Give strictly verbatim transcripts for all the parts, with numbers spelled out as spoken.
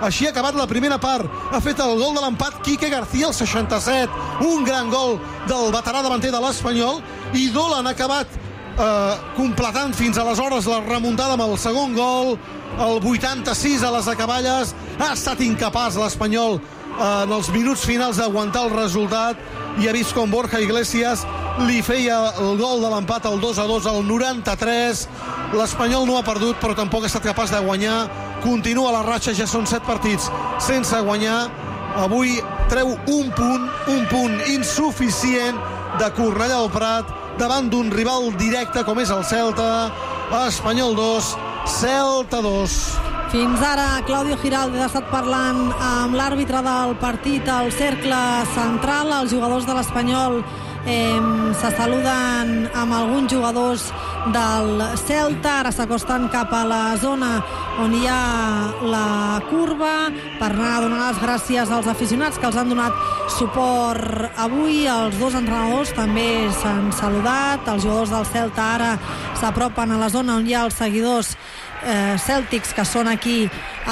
Així ha acabat la primera part. Ha fet el gol de l'empat Quique García al seixanta-set. Un gran gol del veterà davanter de l'Espanyol. I Dolan ha acabat eh, completant fins aleshores la remuntada amb el segon gol. El vuitanta-sis a les acaballes. Ha estat incapaç l'Espanyol eh, en els minuts finals d'aguantar el resultat i ha vist com Borja Iglesias li feia el gol de l'empat al dos a dos al noranta-tres. L'Espanyol no ha perdut, però tampoc ha estat capaç de guanyar. Continua la ratxa, ja són set partits sense guanyar. Avui treu un punt, un punt insuficient de Cornellà del Prat davant d'un rival directe com és el Celta. Espanyol dos, Celta dos. Fins ara, Claudio Giraldes ha estat parlant amb l'àrbitre del partit al cercle central. Els jugadors de l'Espanyol eh, se saluden amb alguns jugadors del Celta. Ara s'acosten cap a la zona on hi ha la curva per anar a donar les gràcies als aficionats que els han donat suport avui. Els dos entrenadors també s'han saludat. Els jugadors del Celta ara s'apropen a la zona on hi ha els seguidors Eh, cèltics que són aquí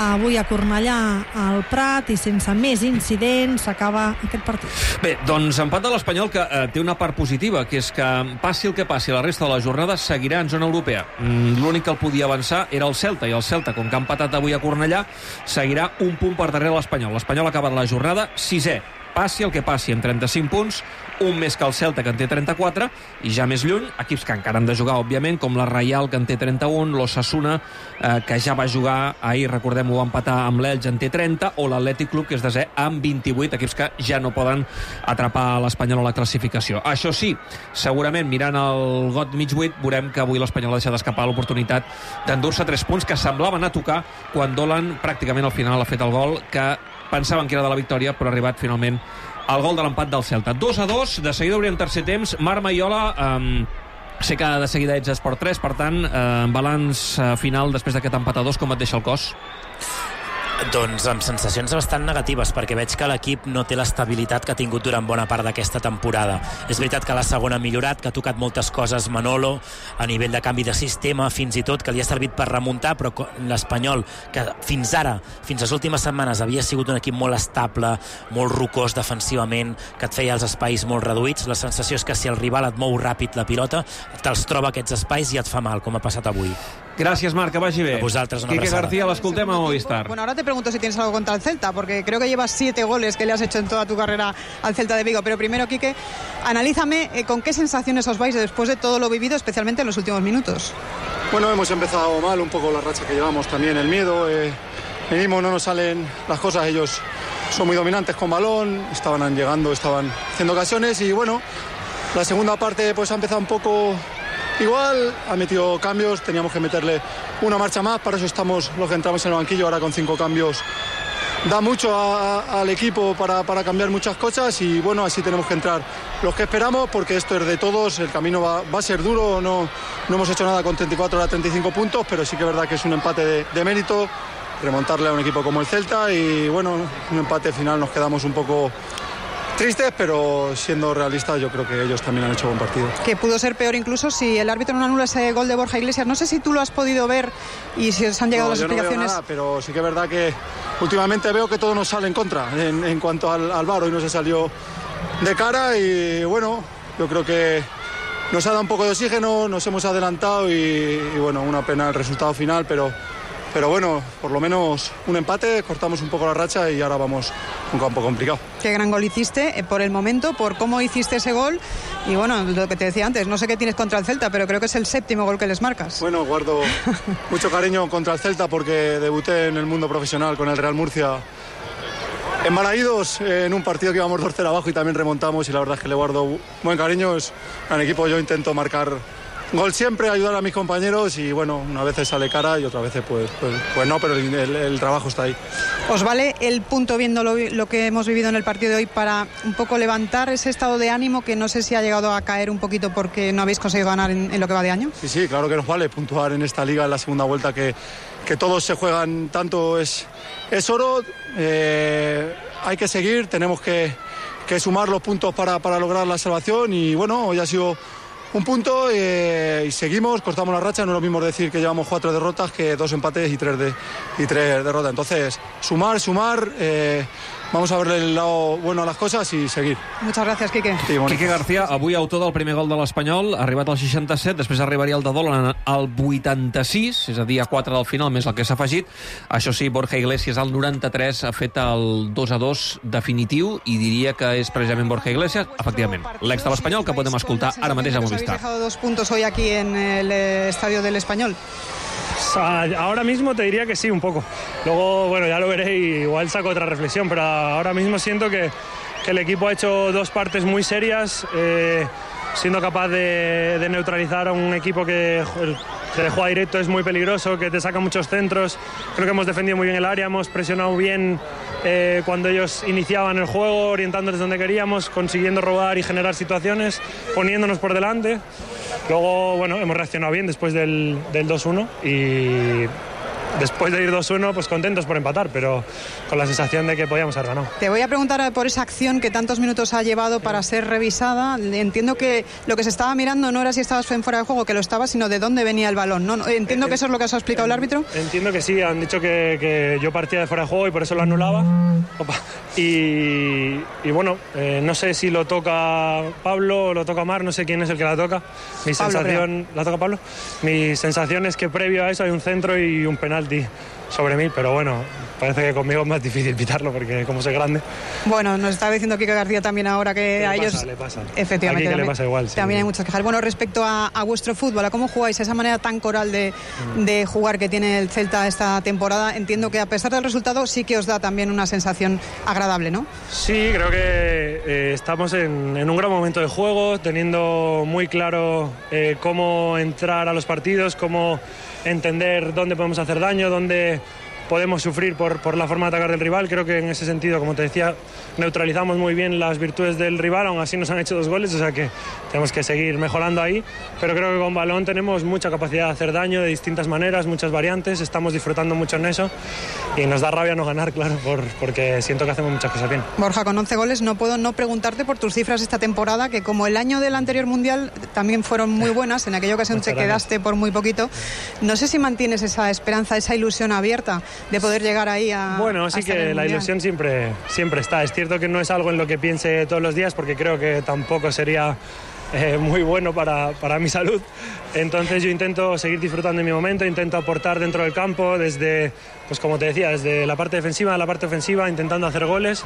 avui a Cornellà al Prat, i sense més incidents s'acaba aquest partit. Bé, doncs empat de l'Espanyol que eh, té una part positiva, que és que passi el que passi la resta de la jornada seguirà en zona europea. Mm, l'únic que el podia avançar era el Celta, i el Celta, com que ha empatat avui a Cornellà, seguirà un punt per darrere l'Espanyol. L'Espanyol ha acabat la jornada sisè. Passi el que passi, amb trenta-cinc punts, un més que el Celta, que en té trenta-quatre, i ja més lluny, equips que encara han de jugar, òbviament, com la Reial, que en té trenta-un, l'Osasuna, eh, que ja va jugar ahir, recordem-ho, va empatar amb l'Elx, en té trenta, o l'Atlètic Club, que és desè, amb vint-i-vuit, equips que ja no poden atrapar l'Espanyol a la classificació. Això sí, segurament, mirant el got mig buit, veurem que avui l'Espanyol ha deixat d'escapar l'oportunitat d'endur-se tres punts que semblaven a tocar quan Dolan, pràcticament al final, ha fet el gol que pensaven que era de la victòria, però ha arribat finalment el gol de l'empat del Celta. dos a dos, de seguida obrirem tercer temps. Marc Maiola, eh, sé que de seguida ets Esport tres, per tant, eh, balanç eh, final després d'aquest empat a dos, com et deixa el cos? Doncs amb sensacions bastant negatives, perquè veig que l'equip no té l'estabilitat que ha tingut durant bona part d'aquesta temporada. És veritat que la segona ha millorat, que ha tocat moltes coses Manolo a nivell de canvi de sistema, fins i tot que li ha servit per remuntar, però l'Espanyol, que fins ara, fins les últimes setmanes, havia sigut un equip molt estable, molt rocós defensivament, que et feia els espais molt reduïts, la sensació és que si el rival et mou ràpid la pilota, te'ls troba aquests espais i et fa mal, com ha passat avui. Gracias, Marc, que vagi bé. A vosaltres, una Quique abraçada. García, l'escoltem a Movistar. Bueno, ahora te pregunto si tienes algo contra el Celta, porque creo que llevas siete goles que le has hecho en toda tu carrera al Celta de Vigo. Pero primero, Quique, analízame eh, con qué sensaciones os vais después de todo lo vivido, especialmente en los últimos minutos. Bueno, hemos empezado mal, un poco la racha que llevamos, también el miedo. Eh, venimos, no nos salen las cosas, ellos son muy dominantes con balón, estaban llegando, estaban haciendo ocasiones y bueno, la segunda parte pues ha empezado un poco igual, ha metido cambios, teníamos que meterle una marcha más, para eso estamos los que entramos en el banquillo, ahora con cinco cambios da mucho a, a, al equipo para, para cambiar muchas cosas y bueno, así tenemos que entrar los que esperamos, porque esto es de todos, el camino va, va a ser duro, no, no hemos hecho nada con treinta y cuatro a treinta y cinco puntos, pero sí que es verdad que es un empate de, de mérito, remontarle a un equipo como el Celta y bueno, un empate final, nos quedamos un poco tristes, pero siendo realistas yo creo que ellos también han hecho buen partido. Que pudo ser peor incluso si el árbitro no anula ese gol de Borja Iglesias. No sé si tú lo has podido ver y si os han llegado no, las yo explicaciones. No veo nada, pero sí que es verdad que últimamente veo que todo nos sale en contra en, en cuanto al, al V A R. Hoy no se salió de cara y bueno, yo creo que nos ha dado un poco de oxígeno, nos hemos adelantado y, y bueno, una pena el resultado final, pero Pero bueno, por lo menos un empate, cortamos un poco la racha y ahora vamos a un campo complicado. Qué gran gol hiciste eh, por el momento, por cómo hiciste ese gol. Y bueno, lo que te decía antes, no sé qué tienes contra el Celta, pero creo que es el séptimo gol que les marcas. Bueno, guardo mucho cariño contra el Celta porque debuté en el mundo profesional con el Real Murcia en Balaídos, en un partido que íbamos dos cero abajo y también remontamos, y la verdad es que le guardo buen cariño. Es un equipo, yo intento marcar gol siempre, ayudar a mis compañeros y bueno, una vez sale cara y otras veces pues, pues, pues no, pero el, el, el trabajo está ahí. ¿Os vale el punto viendo lo, lo que hemos vivido en el partido de hoy para un poco levantar ese estado de ánimo que no sé si ha llegado a caer un poquito porque no habéis conseguido ganar en, en lo que va de año? Sí, sí, claro que nos vale puntuar en esta liga en la segunda vuelta, que, que todos se juegan tanto, es, es oro, eh, hay que seguir, tenemos que, que sumar los puntos para, para lograr la salvación y bueno, hoy ha sido un punto eh, y seguimos, cortamos la racha. No es lo mismo decir que llevamos cuatro derrotas que dos empates y tres, de, y tres derrotas. Entonces, sumar, sumar, eh, vamos a verle el lado bueno a les coses i seguir. Muchas gracias, Quique. Sí, bueno. Quique García, avui autor del primer gol de l'Espanyol, ha arribat al seixanta-set, després arribaria el de Dolan al vuitanta-sis, és a dir, a quatre del final, més el que s'ha afegit. Això sí, Borja Iglesias al noranta-tres ha fet el dos a dos definitiu i diria que és precisament Borja Iglesias, efectivament, l'ex de l'Espanyol, que podem escoltar ara mateix a Movistar. ¿Habéis dejado dos puntos hoy aquí en el estadio del Español? Ahora mismo te diría que sí, un poco. Luego, bueno, ya lo veré y igual saco otra reflexión, pero ahora mismo siento que, que el equipo ha hecho dos partes muy serias, eh, siendo capaz de, de neutralizar a un equipo que, que juega directo, es muy peligroso, que te saca muchos centros. Creo que hemos defendido muy bien el área, hemos presionado bien eh, cuando ellos iniciaban el juego, orientándoles donde queríamos, consiguiendo robar y generar situaciones, poniéndonos por delante. Luego, bueno, hemos reaccionado bien después del, del dos uno y después de ir dos uno, pues contentos por empatar, pero con la sensación de que podíamos haber ganado. Te voy a preguntar por esa acción que tantos minutos ha llevado para ser revisada. Entiendo que lo que se estaba mirando no era si estabas en fuera de juego, que lo estabas, sino de dónde venía el balón, ¿no? Entiendo que eso es lo que os ha explicado el árbitro. Entiendo que sí, han dicho que, que yo partía de fuera de juego y por eso lo anulaba. Opa. Y, y bueno, eh, no sé si lo toca Pablo o lo toca Mar, no sé quién es el que la toca. Mi Pablo, sensación, creo. ¿La toca Pablo? Mi sensación es que previo a eso hay un centro y un penalti sobre mí, pero bueno, parece que conmigo es más difícil pitarlo porque como soy grande. Bueno, nos está diciendo Quique García también ahora que le a pasa, ellos... le pasa. Efectivamente. Aquí que también, le pasa igual. Sí. También hay muchas quejas. Bueno, respecto a, a vuestro fútbol, a cómo jugáis, esa manera tan coral de, de jugar que tiene el Celta esta temporada, entiendo que a pesar del resultado sí que os da también una sensación agradable, ¿no? Sí, creo que eh, estamos en, en un gran momento de juego, teniendo muy claro eh, cómo entrar a los partidos, cómo entender dónde podemos hacer daño, dónde podemos sufrir por, por la forma de atacar del rival. Creo que en ese sentido, como te decía, neutralizamos muy bien las virtudes del rival, aún así nos han hecho dos goles, o sea que tenemos que seguir mejorando ahí, pero creo que con balón tenemos mucha capacidad de hacer daño de distintas maneras, muchas variantes, estamos disfrutando mucho en eso y nos da rabia no ganar, claro, por, porque siento que hacemos muchas cosas bien. Borja, con once goles no puedo no preguntarte por tus cifras esta temporada, que como el año del anterior Mundial también fueron muy buenas, en aquella ocasión te quedaste por muy poquito. No sé si mantienes esa esperanza, esa ilusión abierta de poder llegar ahí a... Bueno, sí que la ilusión siempre, siempre está. Es cierto que no es algo en lo que piense todos los días porque creo que tampoco sería eh, muy bueno para, para mi salud. Entonces yo intento seguir disfrutando de mi momento, intento aportar dentro del campo desde, pues como te decía, desde la parte defensiva a la parte ofensiva, intentando hacer goles.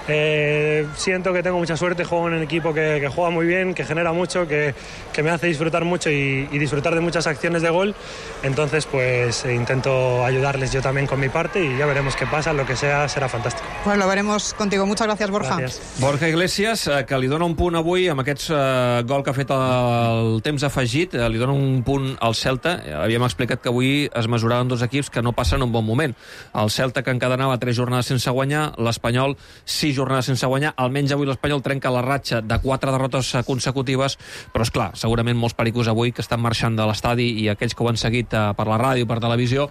Eh, siento que tengo mucha suerte, juego en un equipo que, que juega muy bien, que genera mucho, que, que me hace disfrutar mucho y, y disfrutar de muchas acciones de gol. Entonces pues eh, intento ayudarles yo también con mi parte y ya veremos qué pasa, lo que sea será fantástico. Pues lo veremos contigo. Muchas gracias, Borja. Gràcies. Borja Iglesias, que li dona un punt avui amb aquest uh, gol que ha fet el temps afegit, li dona un punt al Celta. Havíem explicat que avui es mesuraven dos equips que no passen un bon moment. El Celta, que encadenava tres jornades sense guanyar, l'Espanyol sis jornades sense guanyar. Almenys avui l'Espanyol trenca la ratxa de quatre derrotes consecutives, però és clar, segurament molts pericos avui que estan marxant de l'estadi i aquells que ho han seguit uh, per la ràdio, per televisió,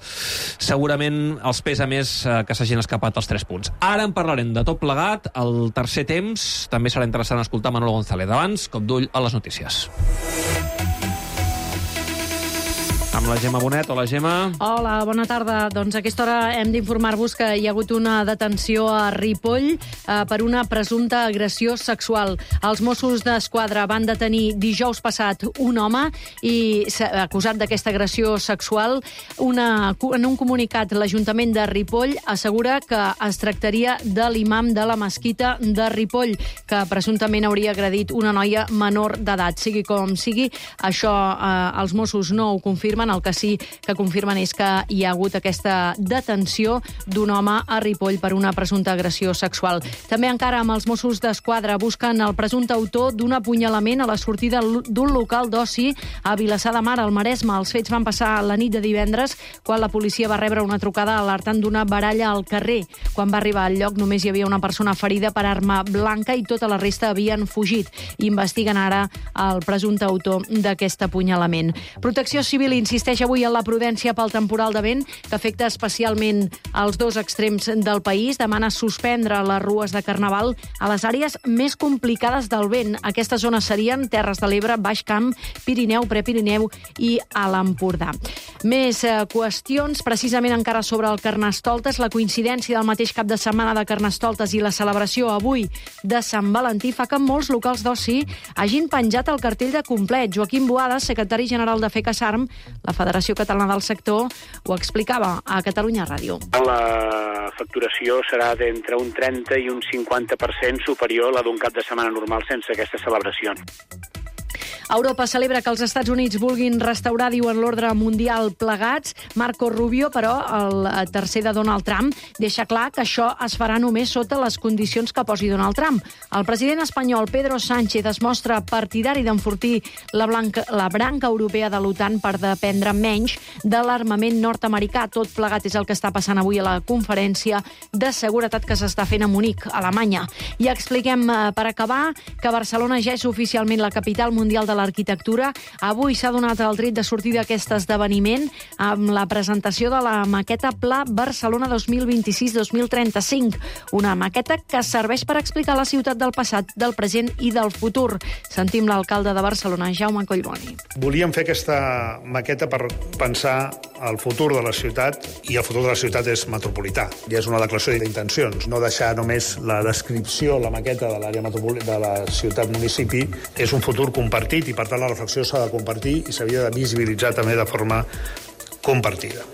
segurament els pesa més uh, que s'hagin escapat els tres punts. Ara en parlarem de tot plegat. El tercer temps també serà interessant escoltar Manolo González. Abans, cop d'ull a les notícies. Amb la Gemma Bonet. Hola, Gemma. Hola, bona tarda. Doncs a aquesta hora hem d'informar-vos que hi ha hagut una detenció a Ripoll eh, per una presumpta agressió sexual. Els Mossos d'Esquadra van detenir dijous passat un home i acusat d'aquesta agressió sexual. Una, en un comunicat, l'Ajuntament de Ripoll assegura que es tractaria de l'imam de la mesquita de Ripoll, que presumptament hauria agredit una noia menor d'edat. Sigui com sigui, això eh, els Mossos no ho confirmen. El que sí que confirmen és que hi ha hagut aquesta detenció d'un home a Ripoll per una presumpta agressió sexual. També encara amb els Mossos d'Esquadra busquen el presumpte autor d'un apunyalament a la sortida d'un local d'oci a Vilassar de Mar, al Maresme. Els fets van passar la nit de divendres, quan la policia va rebre una trucada alertant d'una baralla al carrer. Quan va arribar al lloc només hi havia una persona ferida per arma blanca i tota la resta havien fugit. Investiguen ara el presumpte autor d'aquest apunyalament. Protecció Civil insisteix avui en la prudència pel temporal de vent que afecta especialment els dos extrems del país. Demana suspendre les rues de Carnaval a les àrees més complicades del vent. Aquestes zones serien Terres de l'Ebre, Baix Camp, Pirineu, Prepirineu i a l'Empordà. Més eh, qüestions, precisament encara sobre el Carnestoltes, la coincidència del mateix cap de setmana de Carnestoltes i la celebració avui de Sant Valentí fa que molts locals d'oci hagin penjat el cartell de complet. Joaquim Boada, secretari general de FECASARM, la Federació Catalana del Sector, ho explicava a Catalunya Ràdio. La facturació serà d'entre un trenta i un cinquanta per cent superior a la d'un cap de setmana normal sense aquesta celebració. Europa celebra que els Estats Units vulguin restaurar, diuen, l'ordre mundial plegats. Marco Rubio, però, el tercer de Donald Trump, deixa clar que això es farà només sota les condicions que posi Donald Trump. El president espanyol Pedro Sánchez es mostra partidari d'enfortir la, blanca, la branca europea de l'OTAN per dependre menys de l'armament nord-americà. Tot plegat és el que està passant avui a la conferència de seguretat que s'està fent a Munic, a Alemanya. I expliquem, per acabar, que Barcelona ja és oficialment la capital mundial de l'arquitectura. Avui s'ha donat el tret de sortir d'aquest esdeveniment amb la presentació de la maqueta Pla Barcelona dos mil vint-i-sis dos mil trenta-cinc, una maqueta que serveix per explicar la ciutat del passat, del present i del futur. Sentim l'alcalde de Barcelona, Jaume Collboni. Volíem fer aquesta maqueta per pensar el futur de la ciutat, i el futur de la ciutat és metropolità. I és una declaració d'intencions, no deixar només la descripció, la maqueta de l'àrea metropolitana de la ciutat-municipi. És un futur compartit i, per tant, la reflexió s'ha de compartir i s'havia de visibilitzar també de forma compartida.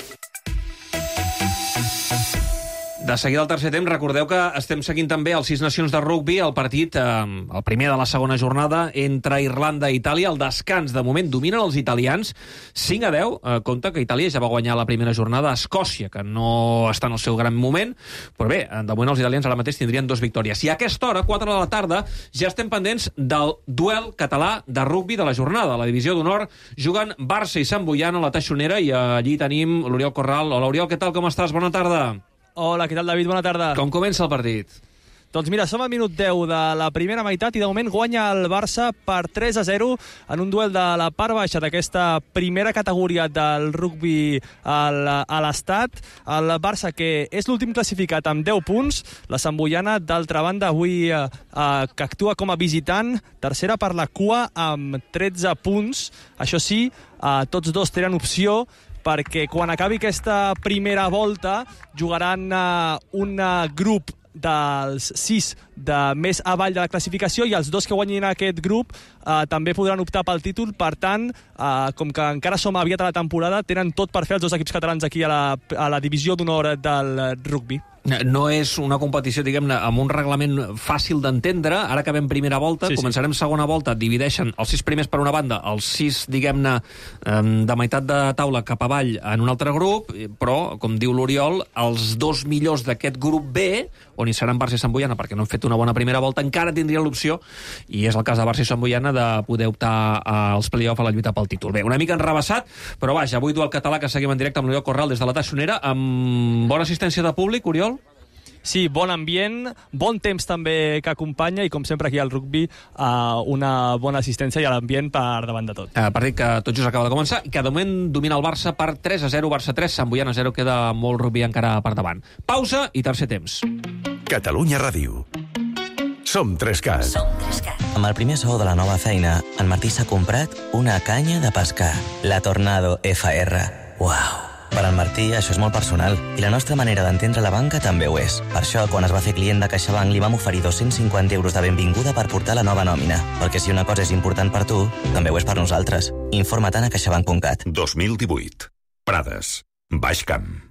De seguida al tercer temps, recordeu que estem seguint també els Sis Nacions de rugbi, el partit, eh, el primer de la segona jornada, entre Irlanda i Itàlia. El descans, de moment, dominen els italians. cinc a deu, eh, compte que Itàlia ja va guanyar la primera jornada a Escòcia, que no està en el seu gran moment, però bé, de moment els italians ara mateix tindrien dues victòries. I a aquesta hora, quatre de la tarda, ja estem pendents del duel català de rugbi de la jornada. A la divisió d'honor juguen Barça i Sant Boian a la Teixonera, i allí tenim l'Oriol Corral. Hola, Oriol, què tal, com estàs? Bona tarda. Hola, què tal, David? Bona tarda. Com comença el partit? Doncs mira, som al minut deu de la primera meitat i de moment guanya el Barça per tres a zero en un duel de la part baixa d'aquesta primera categoria del rugbi a l'Estat. El Barça, que és l'últim classificat amb deu punts, la Sant Boiana, d'altra banda, avui eh, que actua com a visitant, tercera per la cua amb tretze punts. Això sí, eh, tots dos tenen opció, perquè quan acabi aquesta primera volta jugaran uh, un uh, grup dels sis de més avall de la classificació, i els dos que guanyin aquest grup uh, també podran optar pel títol. Per tant, uh, com que encara som aviat a la temporada, tenen tot per fer els dos equips catalans aquí a la, a la divisió d'honor del rugbi. No és una competició, diguem-ne, amb un reglament fàcil d'entendre. Ara acabem primera volta, sí, començarem sí. segona volta, divideixen els sis primers per una banda, els sis, diguem-ne, de meitat de taula cap avall en un altre grup, però, com diu l'Oriol, els dos millors d'aquest grup B, on hi seran Barça i Sant Boiana, perquè no han fet una bona primera volta, encara tindrien l'opció, i és el cas de Barça i Sant Boiana, de poder optar als play-off a la lluita pel títol. Bé, una mica enrebaçat, però vaja, avui duel català que seguim en directe amb l'Oriol Corral des de la Teixonera, amb bona assistència de públic, Oriol? Sí, bon ambient, bon temps també que acompanya, i com sempre aquí al rugbi uh, una bona assistència i l'ambient per davant de tot. Uh, partit que tot just acaba de començar i que de moment domina el Barça per tres a zero, Barça tres, Sant Boiana zero, queda molt rugbi encara per davant. Pausa i tercer temps. Catalunya Ràdio. Som Trescat. Som Trescat. Amb el primer sou de la nova feina, en Martí s'ha comprat una canya de pescar, la Tornado F R. Uau! Per al Martí això és molt personal, i la nostra manera d'entendre la banca també ho és. Per això, quan es va fer client de CaixaBank, li vam oferir dos-cents cinquanta euros de benvinguda per portar la nova nòmina. Perquè si una cosa és important per tu, també ho és per nosaltres. Informa-te'n a caixabank punt cat. dos mil divuit. Prades. Baix Camp.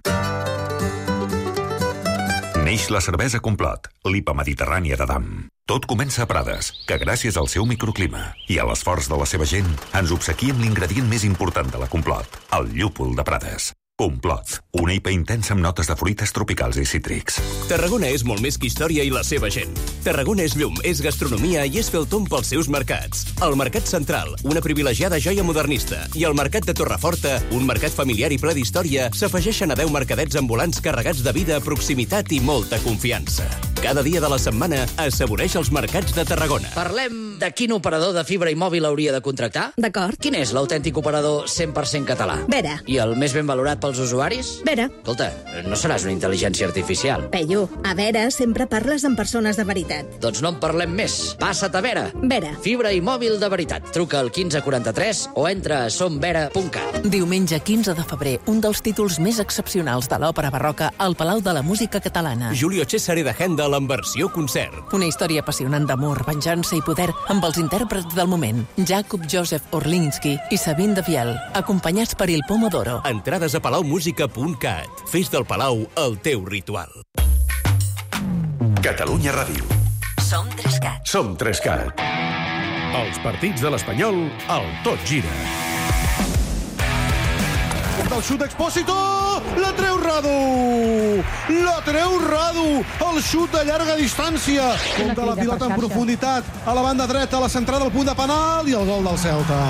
Neix la cervesa Complot, l'I P A mediterrània de Dam. Tot comença a Prades, que gràcies al seu microclima i a l'esforç de la seva gent ens obsequia amb l'ingredient més important de la Complot, el llúpol de Prades. Complot, una I P A intensa amb notes de fruites tropicals i cítrics. Tarragona és molt més que història i la seva gent. Tarragona és llum, és gastronomia i és fer el tomb pels seus mercats. El Mercat Central, una privilegiada joia modernista, i el Mercat de Torreforta, un mercat familiar i ple d'història, s'afegeixen a deu mercadets ambulants carregats de vida, proximitat i molta confiança. Cada dia de la setmana assaboreix els mercats de Tarragona. Parlem de quin operador de fibra i mòbil hauria de contractar? D'acord. Quin és l'autèntic operador cent per cent català? Vera. I el més ben valorat pels usuaris? Vera. Escolta, no seràs una intel·ligència artificial. Peyu, a Vera sempre parles amb persones de veritat. Doncs no en parlem més. Passa't a Vera. Vera. Fibra i mòbil de veritat. Truca al quinze quaranta-tres o entra a somvera punt cat. Diumenge quinze de febrer, un dels títols més excepcionals de l'òpera barroca al Palau de la Música Catalana. Julio Cesare de Händel en versió concert. Una història apassionant d'amor, venjança i poder amb els intèrprets del moment, Jakub Josef Orlinski i Sabine de Viel, acompanyats per Il Pomodoro. Entrades a palaumusica punt cat. Fes del Palau el teu ritual. Catalunya Ràdio. Som Trescat. Som Trescat. Els partits de l'Espanyol al Tot Gira. Del xut d'Expósito, la treu Radu! La treu Radu! El xut de llarga distància. Compta la pilota en profunditat a la banda dreta, a la centrada del punt de penal i el gol del Celta.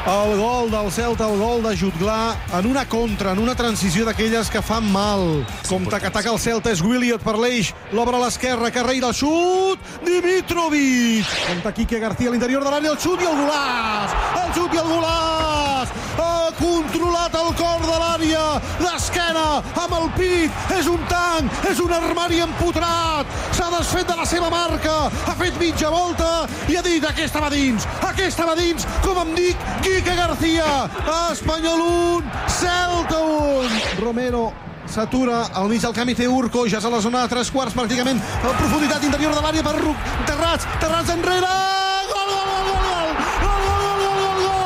El gol del Celta, el gol de Jutglà en una contra, en una transició d'aquelles que fan mal. Compte que ataca el Celta, és Williot per l'eix, l'obre a l'esquerra, carrera, el xut, Dimitrovic. Compte Quique García a l'interior de l'àrea, el xut i el golaç! El xut i el golaç! Ha controlat el cor de l'àrea, d'esquena, amb el pit, és un tanc, és un armari empotrat, s'ha desfet de la seva marca, ha fet mitja volta i ha dit aquesta va dins, aquesta va dins, com em dic, Quique García. Espanyol un, Celta un. Romero s'atura al mig del camp i té Urco, ja és a la zona de tres quarts pràcticament, a la profunditat interior de l'àrea per Terrats, Terrats enrere, gol, gol, gol, gol, gol, gol, gol, gol, gol, gol,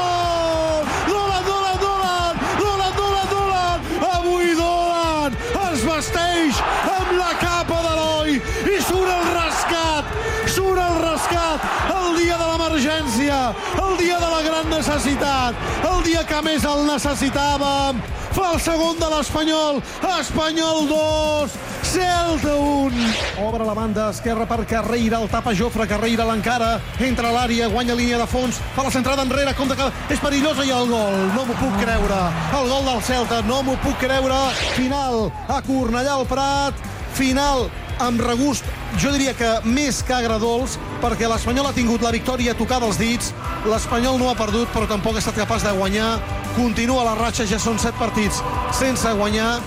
Dolan, Dolan, Dolan, Dolan, Dolan, Dolan, avui Dolan es vesteix amb la capa de l'Eloi i surt el rescat, surt el rescat, el dia de l'emergència, el dia de la gran necessitat, el dia que més el necessitàvem. Fa el segon de l'Espanyol, Espanyol dos, Celta un. Obre la banda esquerra per Carreira, el tapa Jofre, Carreira l'encara, entra a l'àrea, guanya línia de fons, fa la centrada enrere, compte que és perillosa i el gol, no m'ho puc creure. El gol del Celta, no m'ho puc creure. Final a Cornellà al Prat, final amb regust, jo diria que més que agradolç, perquè l'Espanyol ha tingut la victòria tocada als dits, l'Espanyol no ha perdut, però tampoc ha estat capaç de guanyar, continua la ratxa, ja són set partits sense guanyar,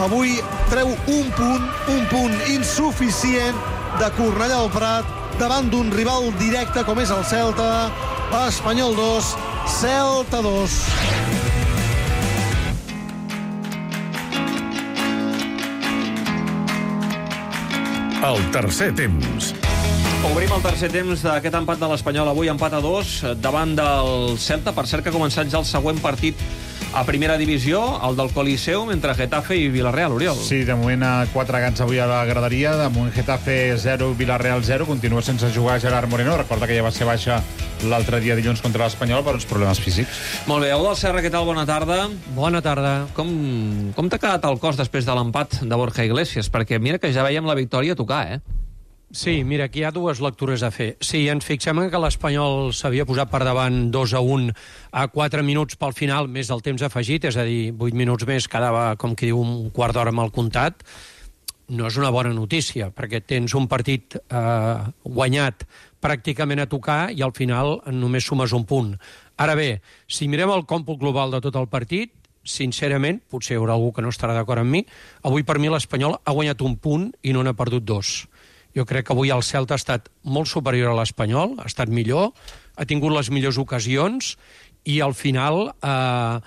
avui treu un punt, un punt insuficient de Cornellà al Prat, davant d'un rival directe com és el Celta. Espanyol dos, Celta dos. El tercer temps. Obrim el tercer temps d'aquest empat de l'Espanyol. Avui empat a dos davant del Celta. Per cert que ha començat ja el següent partit a primera divisió, el del Coliseum, entre Getafe i Villarreal, Oriol. Sí, de moment a quatre gats avui a la graderia. De moment Getafe zero, Villarreal zero. Continua sense jugar Gerard Moreno. Recorda que ja va ser baixa l'altre dia dilluns contra l'Espanyol per uns problemes físics. Molt bé, Eudald Serra, què tal? Bona tarda. Bona tarda. Com, com t'ha quedat el cos després de l'empat de Borja Iglesias? Perquè mira que ja veiem la victòria a tocar, eh? Sí, mira, aquí hi ha dues lectures a fer. Si ens fixem que l'Espanyol s'havia posat per davant dos a un a quatre minuts pel final, més el temps afegit, és a dir, vuit minuts més, quedava, com qui diu, un quart d'hora amb el comptat, no és una bona notícia, perquè tens un partit eh, guanyat pràcticament a tocar i al final només sumes un punt. Ara bé, si mirem el còmput global de tot el partit, sincerament, potser hi haurà algú que no estarà d'acord amb mi, avui per mi l'Espanyol ha guanyat un punt i no n'ha perdut dos. Jo crec que avui el Celta ha estat molt superior a l'Espanyol, ha estat millor, ha tingut les millors ocasions i al final, eh,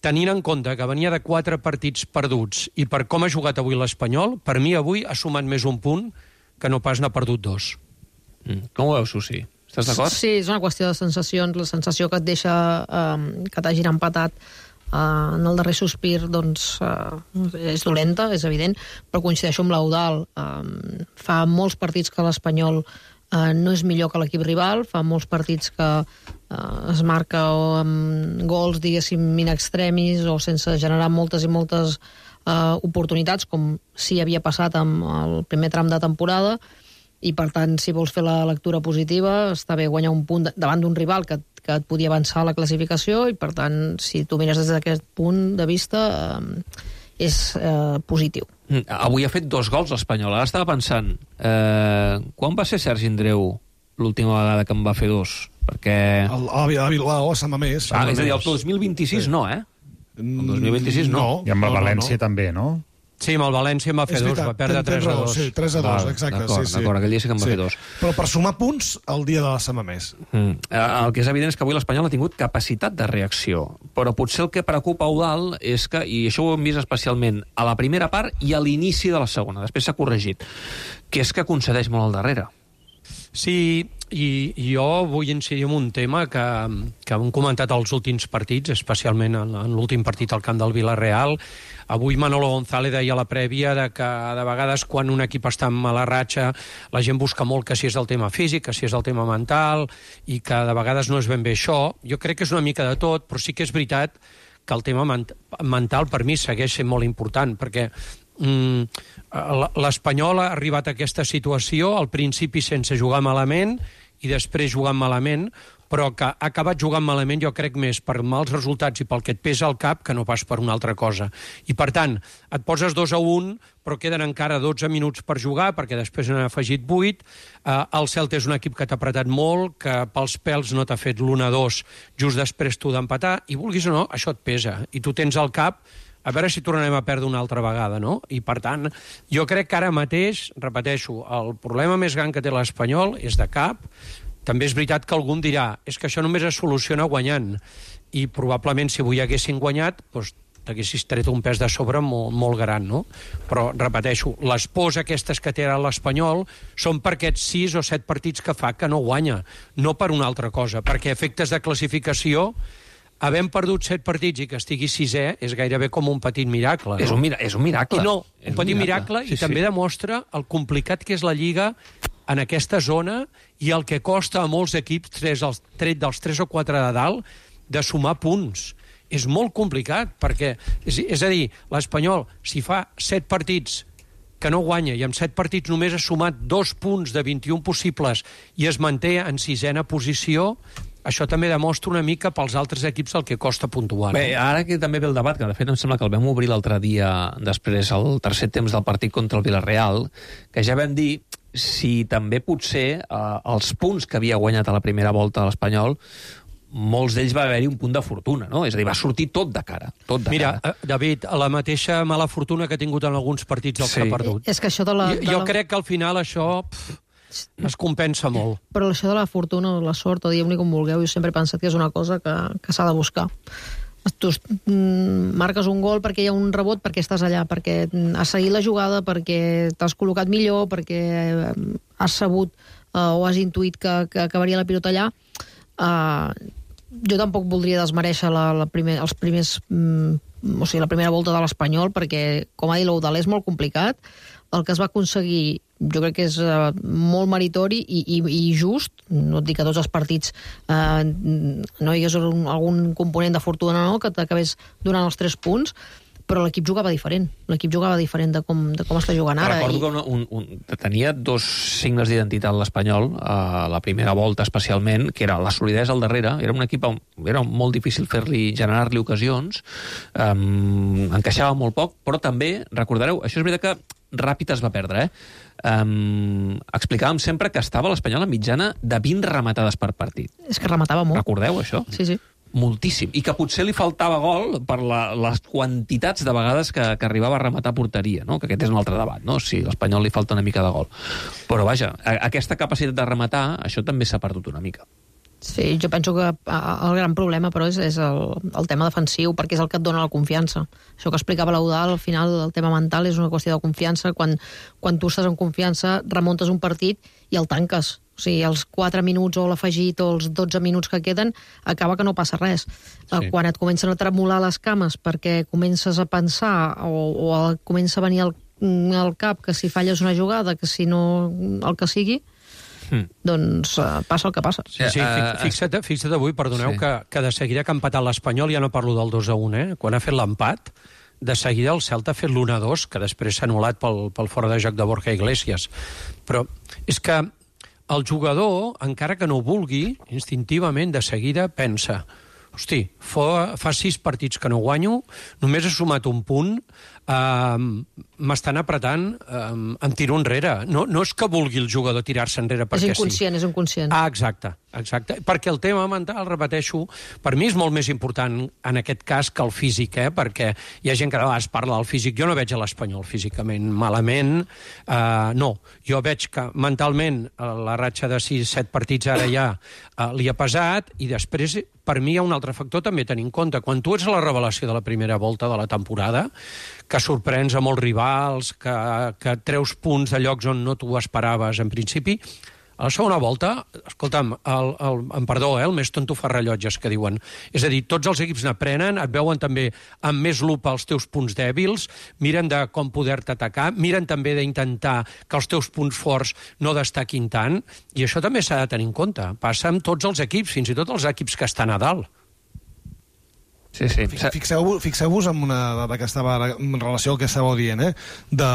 tenint en compte que venia de quatre partits perduts i per com ha jugat avui l'Espanyol, per mi avui ha sumat més un punt que no pas n'ha perdut dos. Mm. Com ho veus, Susi? Estàs d'acord? Sí, és una qüestió de sensacions. La sensació que et deixa eh, que t'hagin empatat Uh, en el darrer sospir doncs, uh, és dolenta, és evident, però coincideixo amb l'Eudald. Uh, fa molts partits que l'Espanyol uh, no és millor que l'equip rival, fa molts partits que uh, es marca o amb gols, diguéssim, in extremis o sense generar moltes i moltes uh, oportunitats, com sí havia passat amb el primer tram de temporada, i per tant, si vols fer la lectura positiva, està bé guanyar un punt davant d'un rival que, que et podia avançar a la classificació, i per tant, si tu mires des d'aquest punt de vista, eh, és eh, positiu. Avui ha fet dos gols l'Espanyol. Ara estava pensant, eh, quan va ser Sergi Andreu l'última vegada que en va fer dos? Perquè... El, el, el Bilbao, a Sant Mamés. Ah, és a dir, el dos mil vint-i-sis sí. no, eh? El dos mil vint-sis no. I amb el no, València no, no. també, no? Sí, amb el València en va fer dos, va perdre tres a dos. Sí, tres a dos, exacte. D'acord, sí, sí. d'acord, aquell dia sí que en va sí. fer dos. Però per sumar punts, el dia de la Sant Mamés. Mm. El que és evident és que avui l'Espanyol ha tingut capacitat de reacció, però potser el que preocupa Eudald és que, i això ho hem vist especialment a la primera part i a l'inici de la segona, després s'ha corregit, que és que concedeix molt al darrere. Sí, i, i jo vull incidir en un tema que, que hem comentat als últims partits, especialment en, en l'últim partit al camp del Villarreal. Avui Manolo González deia a la prèvia de que de vegades quan un equip està en mala ratxa la gent busca molt que si és el tema físic, que si és el tema mental, i que de vegades no és ben bé això. Jo crec que és una mica de tot, però sí que és veritat que el tema ment mental per mi segueix sent molt important, perquè Mm, l'Espanyol ha arribat a aquesta situació al principi sense jugar malament i després jugant malament, però que ha acabat jugant malament jo crec més per mals resultats i pel que et pesa al cap que no pas per una altra cosa. I per tant, et poses dos a un, però queden encara dotze minuts per jugar, perquè després n'han afegit vuit. Eh, el Celta és un equip que t'ha apretat molt, que pels pèls no t'ha fet l'un a dos just després tu d'empatar, i vulguis o no, això et pesa. I tu tens al cap a veure si tornarem a perdre una altra vegada, no? I, per tant, jo crec que ara mateix, repeteixo, el problema més gran que té l'Espanyol és de cap. També és veritat que algú em dirà és que això només es soluciona guanyant. I probablement, si avui haguessin guanyat, doncs t'haguessis tret un pes de sobre molt, molt gran, no? Però, repeteixo, les pors aquestes que té ara l'Espanyol són per aquests sis o set partits que fa que no guanya, no per una altra cosa, perquè efectes de classificació, havent perdut set partits i que estigui sisè és gairebé com un petit miracle. No? És, un mira és un miracle. I no, és un petit un miracle, miracle. i Sí, també sí. demostra el complicat que és la Lliga en aquesta zona i el que costa a molts equips, tres, els, tret dels tres o quatre de dalt, de sumar punts. És molt complicat, perquè, és, és a dir, l'Espanyol, si fa set partits que no guanya i amb set partits només ha sumat dos punts de vint-i-un possibles i es manté en sisena posició, això també demostra una mica pels altres equips el que costa puntuar. Bé, ara que també ve el debat, que de fet em sembla que el vam obrir l'altre dia després, el tercer temps del partit contra el Villarreal, que ja vam dir si també potser eh, els punts que havia guanyat a la primera volta a l'Espanyol, molts d'ells va haver-hi un punt de fortuna, no? És a dir, va sortir tot de cara. Tot de Mira, cara. David, la mateixa mala fortuna que ha tingut en alguns partits dels Sí. que ha perdut. És que això de la... Jo, de jo la... crec que al final això pff, es compensa molt. Però això de la fortuna o la sort, o diguem-li com vulgueu, jo sempre he pensat que és una cosa que, que s'ha de buscar. Tu mm, marques un gol perquè hi ha un rebot, perquè estàs allà, perquè has seguit la jugada, perquè t'has col·locat millor, perquè has sabut uh, o has intuït que, que acabaria la pilota allà. Uh, jo tampoc voldria desmereixer la, la primer, els primers, mm, o sigui, la primera volta de l'Espanyol, perquè, com ha dit l'Eudald, és molt complicat. El que es va aconseguir jo crec que és uh, molt meritori i, i, i just. No et dic que tots els partits uh, no hi hagués un, algun component de fortuna, no, que t'acabés donant els tres punts, però l'equip jugava diferent. L'equip jugava diferent de com, de com està jugant ara. Recordo i... que un, un, un, tenia dos signes d'identitat l'Espanyol, a la primera volta especialment, que era la solidesa al darrere. Era un equip, era molt difícil fer-li, generar-li ocasions, um, encaixava molt poc, però també, recordareu, això és veritat que ràpid es va perdre, eh? Um, explicàvem sempre que estava l'Espanyol a mitjana de vint rematades per partit. És que rematava molt. Recordeu això? Sí, sí. Moltíssim. I que potser li faltava gol per la, les quantitats de vegades que, que arribava a rematar a porteria, no? Que aquest és un altre debat, no? Si a l'Espanyol li falta una mica de gol. Però vaja, a, aquesta capacitat de rematar, això també s'ha perdut una mica. Sí, jo penso que el gran problema, però, és, és el, el tema defensiu, perquè és el que et dona la confiança. Això que explicava l'Eudald, al final el tema mental és una qüestió de confiança. Quan, quan tu estàs en confiança, remuntes un partit i el tanques. O sigui, els quatre minuts o l'afegit o els dotze minuts que queden, acaba que no passa res. Sí. Quan et comencen a tremolar les cames perquè comences a pensar o, o comença a venir al, al cap que si falles una jugada, que si no el que sigui, Mm. doncs uh, passa el que passa. Sí, sí, fixa't, fixa't avui, perdoneu, sí. que, que de seguida que ha empatat l'Espanyol, ja no parlo del dos a un, eh? Quan ha fet l'empat, de seguida el Celta ha fet l'un a dos, que després s'ha anul·lat pel, pel fora de joc de Borja Iglesias. Però és que el jugador, encara que no ho vulgui, instintivament, de seguida pensa: hosti, fa, fa sis partits que no guanyo, només he sumat un punt, Uh, m'estan apretant, uh, em tiro enrere. No, no és que vulgui el jugador tirar-se enrere perquè sí. És inconscient, és inconscient. Ah, exacte, exacte. Perquè el tema mental, repeteixo, per mi és molt més important en aquest cas que el físic, eh? Perquè hi ha gent que a vegades parla del físic. Jo no veig a l'Espanyol físicament malament. Uh, no, jo veig que mentalment la ratxa de sis set partits ara ja uh, li ha pesat, i després, per mi, hi ha un altre factor també a tenir en compte. Quan tu ets la revelació de la primera volta de la temporada, que sorprens a molts rivals, que, que treus punts de llocs on no t'ho esperaves en principi, a la segona volta, escolta'm, el, el, em perdó, eh, el més tonto fa rellotges, que diuen. És a dir, tots els equips n'aprenen, et veuen també amb més lupa els teus punts dèbils, miren de com poder-te atacar, miren també d'intentar que els teus punts forts no destaquin tant, i això també s'ha de tenir en compte. Passa amb tots els equips, fins i tot els equips que estan a dalt. Sí, sí. Fixeu-vos fixeu en una dada que estava en relació al que estàveu dient, eh? De,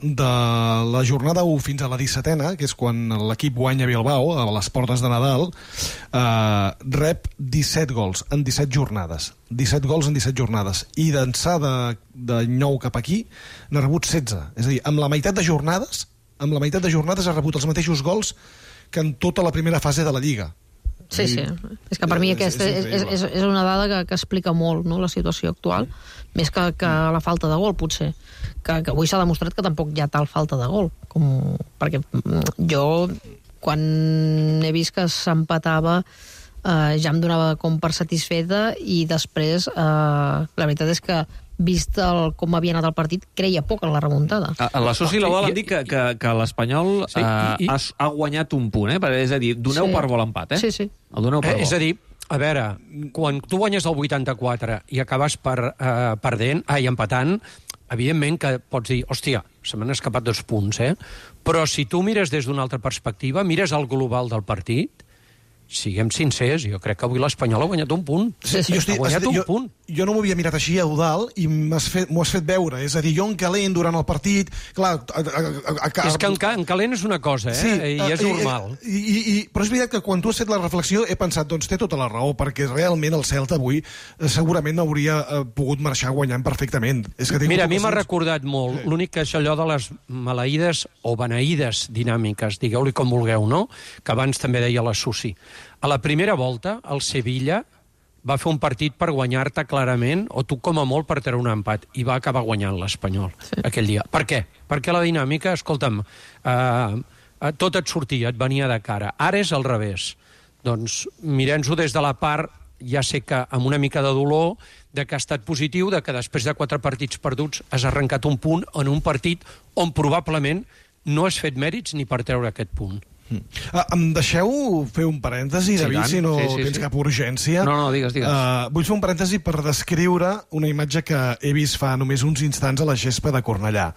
de la jornada u fins a la dissetena, que és quan l'equip guanya Bilbao, a les portes de Nadal, eh, rep disset gols en disset jornades. disset gols en disset jornades. I d'ençà de, de nou cap aquí n'ha rebut setze. És a dir, amb la meitat de jornades, amb la meitat de jornades ha rebut els mateixos gols que en tota la primera fase de la Lliga. Sí, sí. És que per mi aquesta és, és, és, és una dada que, que explica molt, no?, la situació actual, més que, que la falta de gol, potser. Que, que avui s'ha demostrat que tampoc hi ha tal falta de gol. Com, perquè jo, quan he vist que s'empatava, eh, ja em donava com per satisfeta, i després, eh, la veritat és que vist el, com havia anat el partit, creia poc en la remuntada. A, a la Soci i la Bola han dit que, que, que l'Espanyol sí, eh, i, i... ha, ha guanyat un punt, eh? És a dir, doneu sí. per bo l'empat, eh? Sí, sí. El doneu per eh, bo. És a dir, a veure, quan tu guanyes el vuitanta-quatre i acabes per, eh, perdent, ai, empatant, evidentment que pots dir, hòstia, se m'han escapat dos punts, eh? Però si tu mires des d'una altra perspectiva, mires el global del partit, siguem sincers, jo crec que avui l'Espanyol ha guanyat un punt. Sí, sí, jo estic, ha guanyat un jo, punt. Jo no m'ho havia mirat així, Eudal, i m'ho has, has fet veure. És a dir, jo en calent durant el partit... Clar, a, a, a, a, és que en, en calent és una cosa, eh? Sí, i és i, normal. I, i, i, però és veritat que quan tu has fet la reflexió he pensat, doncs té tota la raó, perquè realment el Celta avui eh, segurament no hauria eh, pogut marxar guanyant perfectament. És que Mira, a mi m'ha recordat molt, sí. L'únic que és allò de les maleïdes o beneïdes dinàmiques, digueu-li com vulgueu, no?, que abans també deia la Susi. A la primera volta, el Sevilla va fer un partit per guanyar-te clarament, o tu com a molt per treure un empat, i va acabar guanyant l'Espanyol sí. aquell dia. Per què? Perquè la dinàmica, escolta'm, eh, tot et sortia, et venia de cara. Ara és al revés. Doncs mirem-ho des de la part, ja sé que amb una mica de dolor, de que ha estat positiu, de que després de quatre partits perduts has arrencat un punt en un partit on probablement no has fet mèrits ni per treure aquest punt. Mm. Uh, em deixeu fer un parèntesi, sí, David, si no sí, sí, tens sí. cap urgència. No, no, digues, digues. Uh, vull fer un parèntesi per descriure una imatge que he vist fa només uns instants a la gespa de Cornellà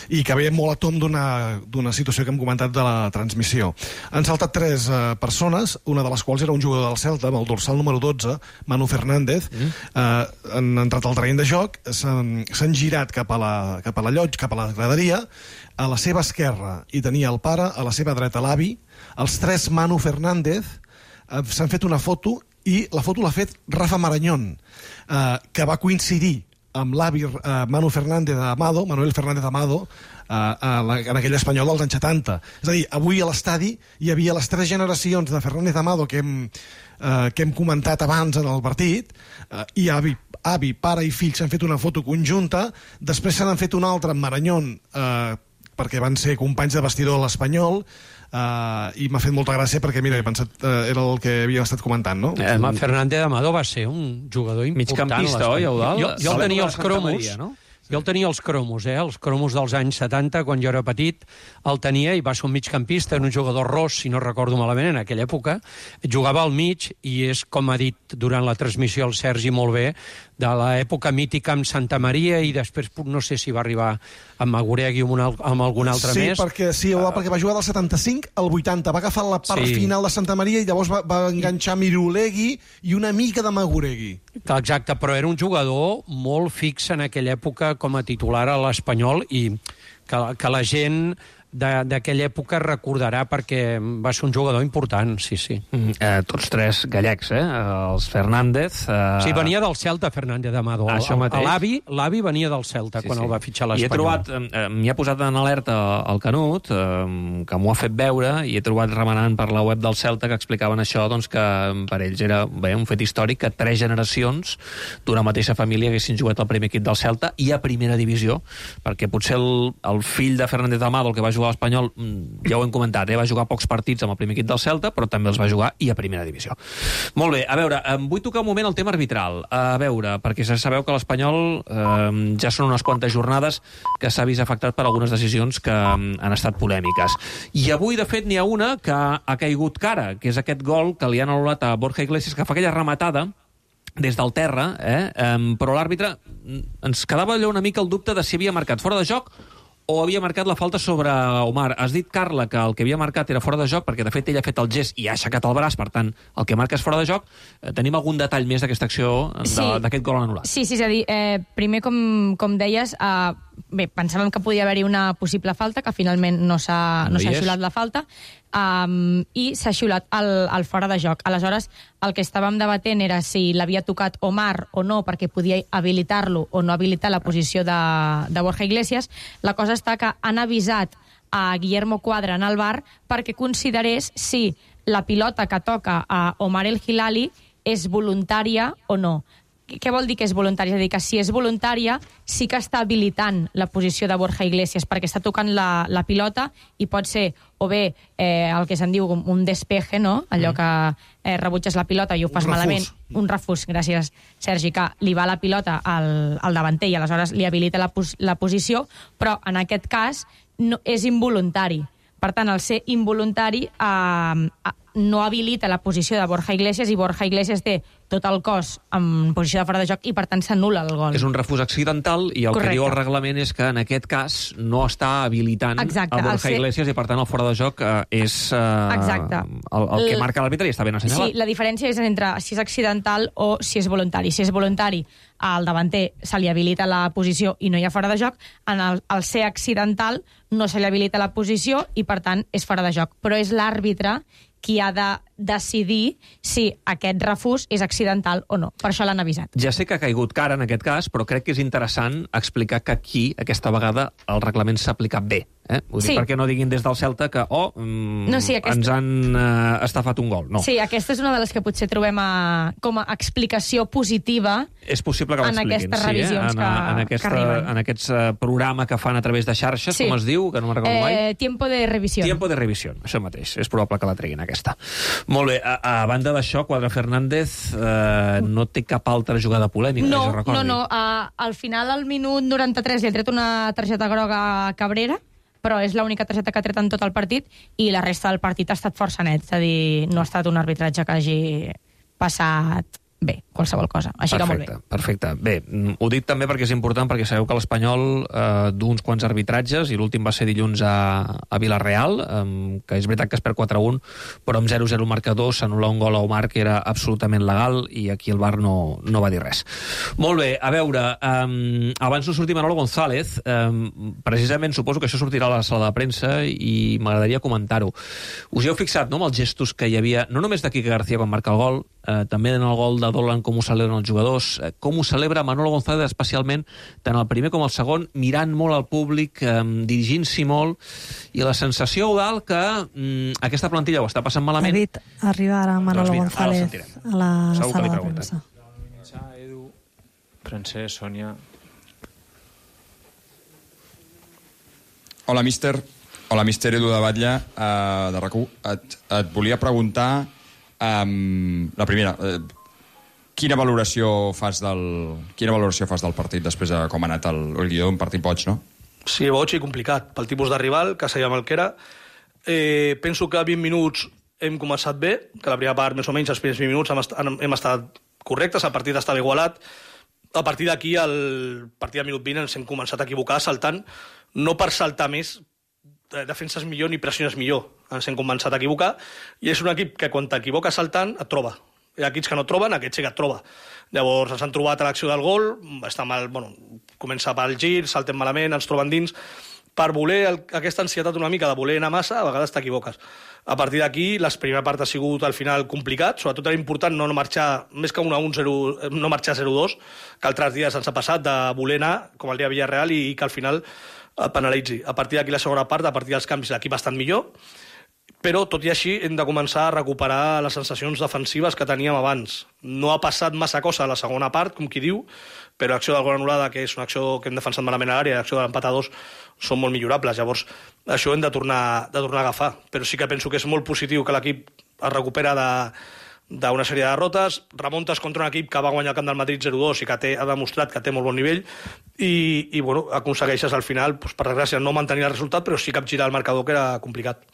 i que ve molt a tom d'una situació que hem comentat de la transmissió. Han saltat tres uh, persones, una de les quals era un jugador del Celta, amb el dorsal número dotze, Manu Fernández. Mm. Uh, han entrat al terreny de joc, s'han girat cap a la, cap a la llotja, cap a la graderia. A la seva esquerra hi tenia el pare, a la seva dreta l'avi. Els tres Manu Fernández eh, s'han fet una foto i la foto l'ha fet Rafa Marañón, eh, que va coincidir amb l'avi eh, Manu Fernández Amado, Manuel Fernández Amado, eh, a la, en aquell Espanyol dels anys setanta. És a dir, avui a l'estadi hi havia les tres generacions de Fernández Amado que hem, eh, que hem comentat abans en el partit, eh, i avi, avi, pare i fill s'han fet una foto conjunta, després se n'han fet una altra amb Marañón, eh, perquè van ser companys de vestidor a l'Espanyol, uh, i m'ha fet molta gràcia perquè, mira, he pensat, uh, era el que havíem estat comentant, no? Eh, Fernández Amado va ser un jugador important. Migcampista, oi, Eudal? Jo, jo el tenia els cromos, no? Jo el tenia els cromos, eh? Els cromos dels anys setanta, quan jo era petit, el tenia i va ser un migcampista, era un jugador ros, si no recordo malament, en aquella època. Jugava al mig i és, com ha dit durant la transmissió el Sergi molt bé, de l'època mítica amb Santa Maria i després no sé si va arribar amb Maguregui o amb algun altre sí, més. Perquè, sí, uh, perquè va jugar del setanta-cinc al vuitanta, va agafar la part sí. final de Santa Maria i llavors va, va enganxar Mirulegui i una mica de Maguregui. Exacte, però era un jugador molt fix en aquella època com a titular a l'Espanyol i que, que la gent d'aquella època recordarà perquè va ser un jugador important, sí, sí. Mm, eh, tots tres gallecs, eh? Els Fernández... Eh... Sí, venia del Celta, Fernández Amado. Això mateix. L'avi l'avi venia del Celta sí, quan sí. el va fitxar l'Espanyol. I he trobat, eh, m'hi ha posat en alerta el Canut, eh, que m'ho ha fet veure, i he trobat remenant per la web del Celta que explicaven això, doncs que per ells era bé, un fet històric que tres generacions d'una mateixa família haguessin jugat al primer equip del Celta i a primera divisió, perquè potser el, el fill de Fernández Amado, el que va jugar a l'Espanyol, ja ho hem comentat, eh, va jugar pocs partits amb el primer equip del Celta, però també els va jugar i a primera divisió. Molt bé, a veure, em vull tocar un moment el tema arbitral. A veure, perquè ja sabeu que l'Espanyol eh, ja són unes quantes jornades que s'ha vist afectat per algunes decisions que han estat polèmiques. I avui, de fet, n'hi ha una que ha caigut cara, que és aquest gol que li han anul·lat a Borja Iglesias, que fa aquella rematada des del terra, eh? Um, però l'àrbitre ens quedava allò una mica el dubte de si havia marcat fora de joc o havia marcat la falta sobre Omar. Has dit, Carla, que el que havia marcat era fora de joc, perquè de fet ell ha fet el gest i ha aixecat el braç, per tant, el que marca és fora de joc. Eh, tenim algun detall més d'aquesta acció, d'aquest sí. gol anul·lat? Sí, sí, és a dir, eh, primer, com, com deies, eh, bé, pensàvem que podia haver-hi una possible falta, que finalment no s'ha no no xiulat la falta, um, i s'ha xiulat el, el fora de joc. Aleshores, el que estàvem debatent era si l'havia tocat Omar o no, perquè podia habilitar-lo o no habilitar la posició de, de Borja Iglesias. La cosa està que han avisat a Guillermo Cuadra en el V A R perquè considerés si la pilota que toca a Omar El Hilali és voluntària o no. Què vol dir que és voluntària? És a dir, que si és voluntària sí que està habilitant la posició de Borja Iglesias perquè està tocant la, la pilota i pot ser o bé eh, el que se'n diu un despeje, no? Allò que eh, rebutges la pilota i ho fas un malament. Un refús, gràcies, Sergi, que li va la pilota al, al davanter i aleshores li habilita la, pos la posició, però en aquest cas no, és involuntari. Per tant, al ser involuntari eh, no habilita la posició de Borja Iglesias i Borja Iglesias té tot el cos en posició de fora de joc i, per tant, s'anul·la el gol. És un refús accidental i el Correcte. Que diu el reglament és que, en aquest cas, no està habilitant Exacte, a Borja ser... Iglesias i, per tant, el fora de joc eh, és eh, el, el que marca l'àrbitre i està ben assenyalat. Sí, la diferència és entre si és accidental o si és voluntari. Si és voluntari, al davanter se li habilita la posició i no hi ha fora de joc. En el, el ser accidental no se li habilita la posició i, per tant, és fora de joc. Però és l'àrbitre qui ha de decidir si aquest refús és accidental o no. Per això l'han avisat. Ja sé que ha caigut cara en aquest cas, però crec que és interessant explicar que aquí, aquesta vegada, el reglament s'ha aplicat bé. Eh? Vull dir, sí. perquè no diguin des del Celta que oh, mm, no, sí, aquesta... ens han uh, estafat un gol. No. Sí, aquesta és una de les que potser trobem a, com a explicació positiva és possible que en aquestes revisions sí, eh? en, que, en, aquesta, que arriben. En aquests uh, programa que fan a través de xarxes, sí. com es diu, que no me'n recordo eh, mai. Tiempo de revisión. Tiempo de revisión, això mateix. És probable que la treguin, aquesta. Molt bé, a, a banda d'això, Cuadra Fernández eh, no té cap altra jugada polèmica, no, que jo recordi. No, no, uh, al final, al minut noranta-tres, li ha tret una targeta groga a Cabrera, però és l'única targeta que ha tret en tot el partit i la resta del partit ha estat força net, és a dir, no ha estat un arbitratge que hagi passat bé, qualsevol cosa. Així perfecte, que molt bé. Perfecte. Bé, ho dic també perquè és important, perquè sabeu que l'Espanyol eh, d'uns quants arbitratges, i l'últim va ser dilluns a, a Vilareal, eh, que és veritat que es perd quatre a un, però amb zero a zero marcador s'anul·la un gol a Omar que era absolutament legal i aquí el V A R no, no va dir res. Molt bé, a veure, eh, abans no sortir Manolo González, eh, precisament suposo que això sortirà a la sala de premsa i m'agradaria comentar-ho. Us hi heu fixat, no?, amb els gestos que hi havia, no només de Quique García quan marca el gol, eh, també en el gol de Dolan, com ho celebren els jugadors, eh, com ho celebra Manolo González especialment, tant el primer com el segon, mirant molt al públic, eh, dirigint-s'hi molt, i la sensació, Eudald, que mm, aquesta plantilla ho està passant malament. David, arriba ara Manolo doncs mira, González a la Segur sala de premsa. Edu, Francesc, Sònia... Hola, míster. Hola, míster Edu de Batlle, uh, de RAC u. Et, et volia preguntar, um, la primera, uh, quina valoració fas del quina valoració fas del partit després de com ha anat el, el guió, un partit boig, no? Sí, boig i complicat, pel tipus de rival, que sabíem el que era. Eh, penso que a vint minuts hem començat bé, que la primera part, més o menys, els primers vint minuts hem, est hem estat correctes, el partit estava igualat. A partir d'aquí, el partit del minut vint, ens hem començat a equivocar saltant, no per saltar més, defenses millor ni pressiones millor. Ens hem començat a equivocar, i és un equip que quan t'equivoques saltant et troba. Hi ha equips que no troben, aquest sí que et troba. Llavors ens han trobat a l'acció del gol, està mal, bueno, comença pel gir, saltem malament, ens troben dins, per voler el, aquesta ansietat una mica de voler anar massa, a vegades t'equivoques. A partir d'aquí, la primera part ha sigut al final complicat, sobretot era important no marxar, més que un a un, no marxar zero dos, que altres dies ens ha passat de voler anar, com el dia Villarreal, i, i que al final et penalitzi. A partir d'aquí, la segona part, a partir dels canvis, l'equip ha estat millor, però, tot i així, hem de començar a recuperar les sensacions defensives que teníem abans. No ha passat massa cosa a la segona part, com qui diu, però l'acció del gol anul·lada, que és una acció que hem defensat malament a l'àrea, l'acció de l'empat a dos, són molt millorables. Llavors, això hem de tornar, de tornar a agafar. Però sí que penso que és molt positiu que l'equip es recupera de, d'una sèrie de derrotes, remuntes contra un equip que va guanyar el camp del Madrid zero dos i que té, ha demostrat que té molt bon nivell, i, i bueno, aconsegueixes al final, doncs, per desgràcia, no mantenir el resultat, però sí capgirar el marcador, que era complicat.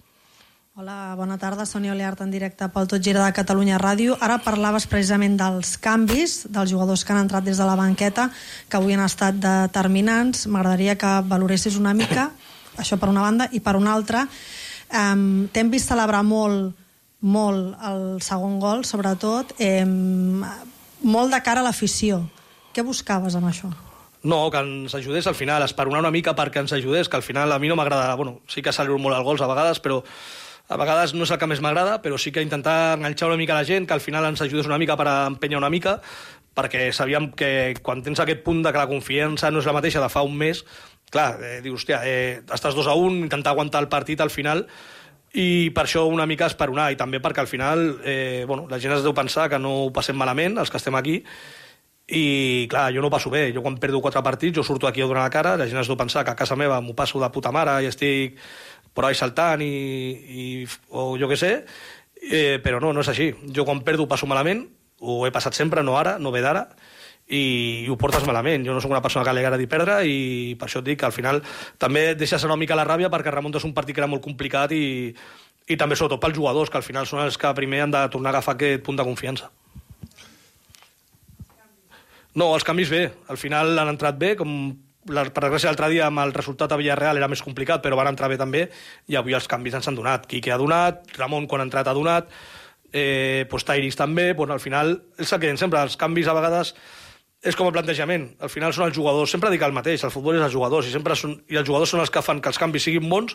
Hola, bona tarda, Sònia Oleart en directe pel Tot Gira de Catalunya Ràdio. Ara parlaves precisament dels canvis, dels jugadors que han entrat des de la banqueta, que avui han estat determinants. M'agradaria que valoressis una mica, això per una banda, i per una altra, um, t'hem vist celebrar molt, molt el segon gol, sobretot, eh, molt de cara a l'afició. Què buscaves amb això? No, que ens ajudés al final, esperonar una mica perquè ens ajudés, que al final a mi no m'agrada, bueno, sí que celebro molt els gols a vegades, però a vegades no és el que més m'agrada, però sí que intentar enganxar una mica la gent, que al final ens ajudés una mica per empènyer una mica, perquè sabíem que quan tens aquest punt de que la confiança no és la mateixa de fa un mes, clar, eh, dius, hòstia, eh, estàs dos a un, intentar aguantar el partit al final, i per això una mica esperonar, i també perquè al final eh, bueno, la gent es deu pensar que no ho passem malament, els que estem aquí, i clar, jo no ho passo bé. Jo quan perdo quatre partits, jo surto aquí a donar la cara, la gent es deu pensar que a casa meva m'ho passo de puta mare i estic por ahí saltant i, i, o jo què sé, eh, però no, no és així. Jo quan perdo ho passo malament, ho he passat sempre, no ara, no ve d'ara, i, i ho portes malament. Jo no soc una persona que li agradi perdre, i per això et dic que al final també deixes una mica la ràbia perquè remuntes un partit que era molt complicat, i, i també sobretot pels jugadors, que al final són els que primer han de tornar a agafar aquest punt de confiança. No, els canvis bé. Al final han entrat bé, com la, per desgràcia l'altre dia amb el resultat a Villarreal era més complicat, però van entrar bé també, i avui els canvis ens han donat. Quique ha donat, Ramon quan ha entrat ha donat, eh, pues Tairis també, pues al final és el que sempre, els canvis a vegades és com el plantejament, al final són els jugadors, sempre dic el mateix, el futbol és els jugadors, i, sempre són, i els jugadors són els que fan que els canvis siguin bons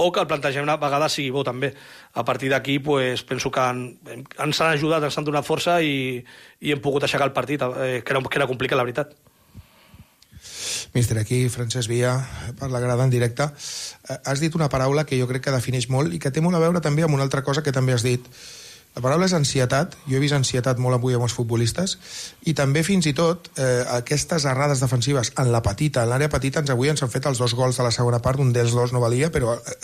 o que el plantejament a vegades sigui bo també. A partir d'aquí pues, penso que han, ens han ajudat, ens han donat força, i, i hem pogut aixecar el partit, eh, que, era, que era complicat, la veritat. Míster, aquí Francesc Villa, per la grada en directe. Has dit una paraula que jo crec que defineix molt i que té molt a veure també amb una altra cosa que també has dit. La paraula és ansietat. Jo he vist ansietat molt avui amb els futbolistes, i també fins i tot eh, aquestes errades defensives en la petita, en l'àrea petita, ens avui ens han fet els dos gols de la segona part, un dels dos no valia, però eh,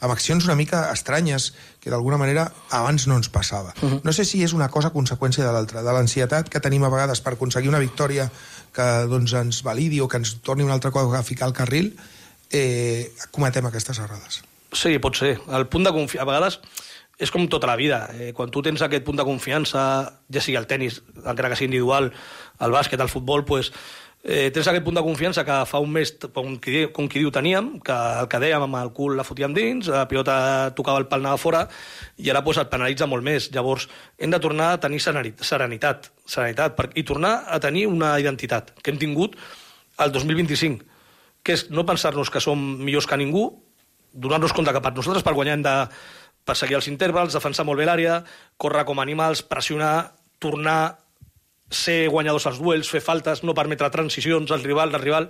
amb accions una mica estranyes que d'alguna manera abans no ens passava. Uh-huh. No sé si és una cosa conseqüència de l'altra, de l'ansietat que tenim a vegades per aconseguir una victòria que doncs, ens validi o que ens torni un altre cop a ficar el carril, eh, cometem aquestes errades. Sí, pot ser. El punt de confiança, a vegades és com tota la vida. Eh, quan tu tens aquest punt de confiança, ja sigui el tenis, encara que sigui individual, el bàsquet, el futbol, pues, eh, tens aquest punt de confiança que fa un mes, com qui, com qui diu, teníem, que el que dèiem amb el cul la fotíem dins, la pilota tocava el pal, anava fora, i ara pues, et penalitza molt més. Llavors, hem de tornar a tenir serenitat, serenitat per, i tornar a tenir una identitat que hem tingut el dos mil vint-i-cinc, que és no pensar-nos que som millors que ningú, donar-nos compte que per nosaltres per guanyar hem de perseguir els intervals, defensar molt bé l'àrea, córrer com animals, pressionar, tornar, ser guanyadors als duels, fer faltes, no permetre transicions al rival, al rival,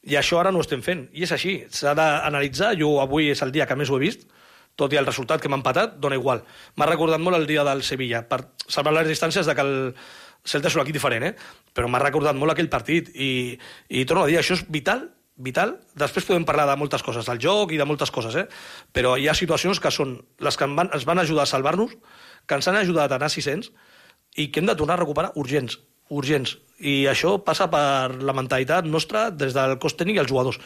i això ara no ho estem fent. I és així, s'ha d'analitzar. Jo avui és el dia que més ho he vist, tot i el resultat que m'ha empatat, dona igual. M'ha recordat molt el dia del Sevilla, per salvar les distàncies de que el Celta és un equip diferent, eh? Però m'ha recordat molt aquell partit, i, i torno a dir, això és vital, vital. Després podem parlar de moltes coses, del joc i de moltes coses, eh? Però hi ha situacions que són les que van, ens van ajudar a salvar-nos, que ens han ajudat a anar a sis-cents, i que hem de tornar a recuperar urgents, urgents. I això passa per la mentalitat nostra des del cos tècnic i els jugadors.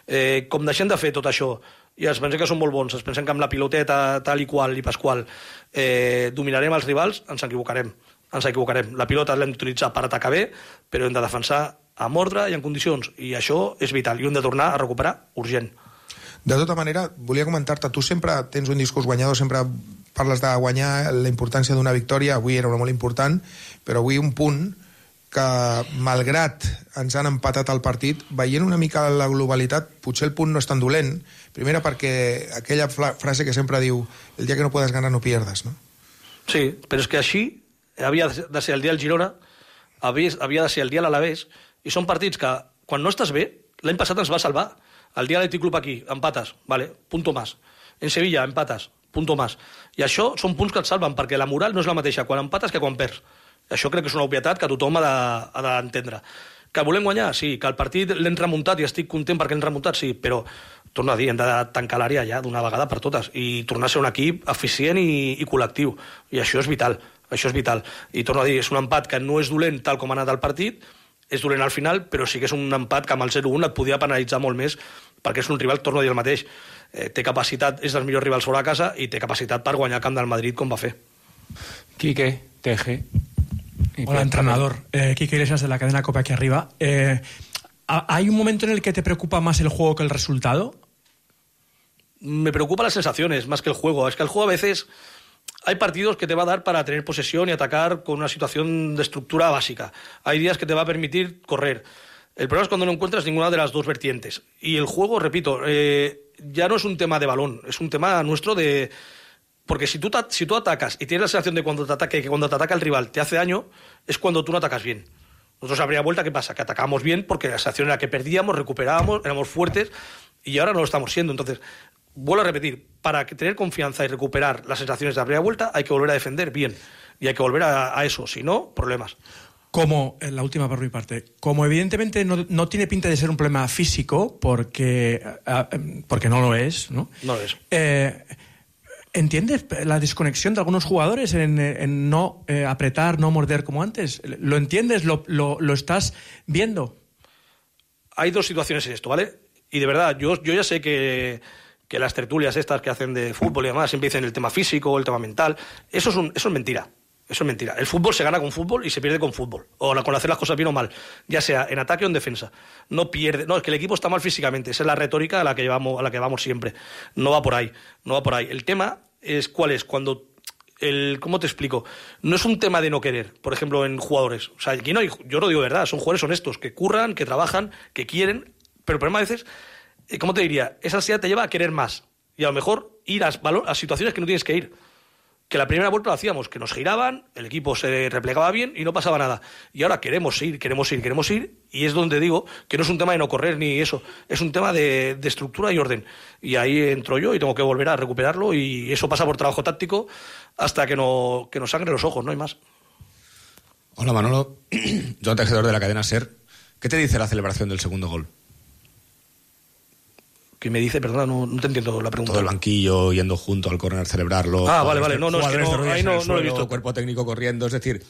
Eh, com deixem de fer tot això, i ens pensem que són molt bons, ens pensem que amb la piloteta tal i qual i pasqual eh, dominarem els rivals, ens equivocarem. Ens equivocarem. La pilota l'hem d'utilitzar per atacar bé, però hem de defensar amb ordre i en condicions, i això és vital, i hem de tornar a recuperar urgent. De tota manera, volia comentar-te, tu sempre tens un discurs guanyador, sempre parles de guanyar, la importància d'una victòria, avui era una molt important, però avui un punt que, malgrat ens han empatat el partit, veient una mica la globalitat, potser el punt no és tan dolent. Primera, perquè aquella frase que sempre diu, el dia que no puedes ganar no pierdas, no? Sí, però és que així havia de ser el dia del Girona, havia, havia de ser el dia de l'Alavés, i són partits que, quan no estàs bé, l'any passat ens va salvar. El dia de l'Atlètic Club aquí, empates, vale, punto más. En Sevilla, empates, punto más. I això són punts que et salven, perquè la moral no és la mateixa quan empates que quan perds. Això crec que és una obvietat que tothom ha d'entendre. Que volem guanyar? Sí. Que el partit l'hem remuntat i estic content perquè l'hem remuntat? Sí, però, torno a dir, hem de tancar l'àrea ja d'una vegada per totes i tornar a ser un equip eficient i, i col·lectiu. I això és vital, això és vital. I torno a dir, és un empat que no és dolent tal com ha anat el partit, és dolent al final, però sí que és un empat que amb el zero un et podia penalitzar molt més, perquè és un rival, torno a dir el mateix, eh, té capacitat, és dels millors rivals fora de casa i té capacitat per guanyar el camp del Madrid com va fer. Quique, T G. Hola, entrenador. Eh, Quique Iglesias de la cadena COPE aquí arriba. Eh, ¿Hay un momento en el que te preocupa más el juego que el resultado? Me preocupan las sensaciones más que el juego. Es que el juego a veces hay partidos que te va a dar para tener posesión y atacar con una situación de estructura básica. Hay días que te va a permitir correr. El problema es cuando no encuentras ninguna de las dos vertientes. Y el juego, repito, eh, ya no es un tema de balón, es un tema nuestro de... Porque si tú, si tú atacas y tienes la sensación de cuando te ataque, que cuando te ataca el rival te hace daño, es cuando tú no atacas bien. Nosotros habría vuelta, ¿qué pasa? Que atacábamos bien porque la sensación era que perdíamos, recuperábamos, éramos fuertes y ahora no lo estamos siendo. Entonces, vuelvo a repetir, para tener confianza y recuperar las sensaciones de la primera vuelta hay que volver a defender bien y hay que volver a, a eso, si no, problemas. Como, la última por mi parte, como evidentemente no, no tiene pinta de ser un problema físico, porque, porque no lo es, ¿no? No lo es. Eh, ¿Entiendes la desconexión de algunos jugadores en, en no eh, apretar, no morder como antes? ¿Lo entiendes? ¿Lo, lo, lo estás viendo? Hay dos situaciones en esto, ¿vale? Y de verdad, yo, yo ya sé que, que las tertulias estas que hacen de fútbol y demás siempre dicen el tema físico, el tema mental. Eso es, un, eso es mentira. Eso es mentira. El fútbol se gana con fútbol y se pierde con fútbol. O con hacer las cosas bien o mal. Ya sea en ataque o en defensa. No pierde. No, es que el equipo está mal físicamente. Esa es la retórica a la que llevamos, a la que vamos siempre. No va por ahí. No va por ahí. El tema es cuál es. Cuando el, ¿cómo te explico? No es un tema de no querer, por ejemplo, en jugadores. O sea, aquí no hay, yo no digo verdad. Son jugadores honestos, que curran, que trabajan, que quieren. Pero el problema a veces, ¿cómo te diría? Esa ansiedad te lleva a querer más. Y a lo mejor ir a, a situaciones que no tienes que ir. Que la primera vuelta lo hacíamos, que nos giraban, el equipo se replegaba bien y no pasaba nada. Y ahora queremos ir, queremos ir, queremos ir, y es donde digo que no es un tema de no correr ni eso, es un tema de, de estructura y orden. Y ahí entro yo y tengo que volver a recuperarlo, y eso pasa por trabajo táctico hasta que, no, que nos sangre los ojos, no hay más. Hola Manolo, Joan Tejedor de la cadena SER. ¿Qué te dice la celebración del segundo gol? ¿Qué me dice? Perdona, no, no te entiendo la pregunta. Todo el banquillo yendo junto al córner a celebrarlo. Ah, vale, vale. No, no, es que no, ahí no, no lo he visto. Cuerpo técnico corriendo, es decir,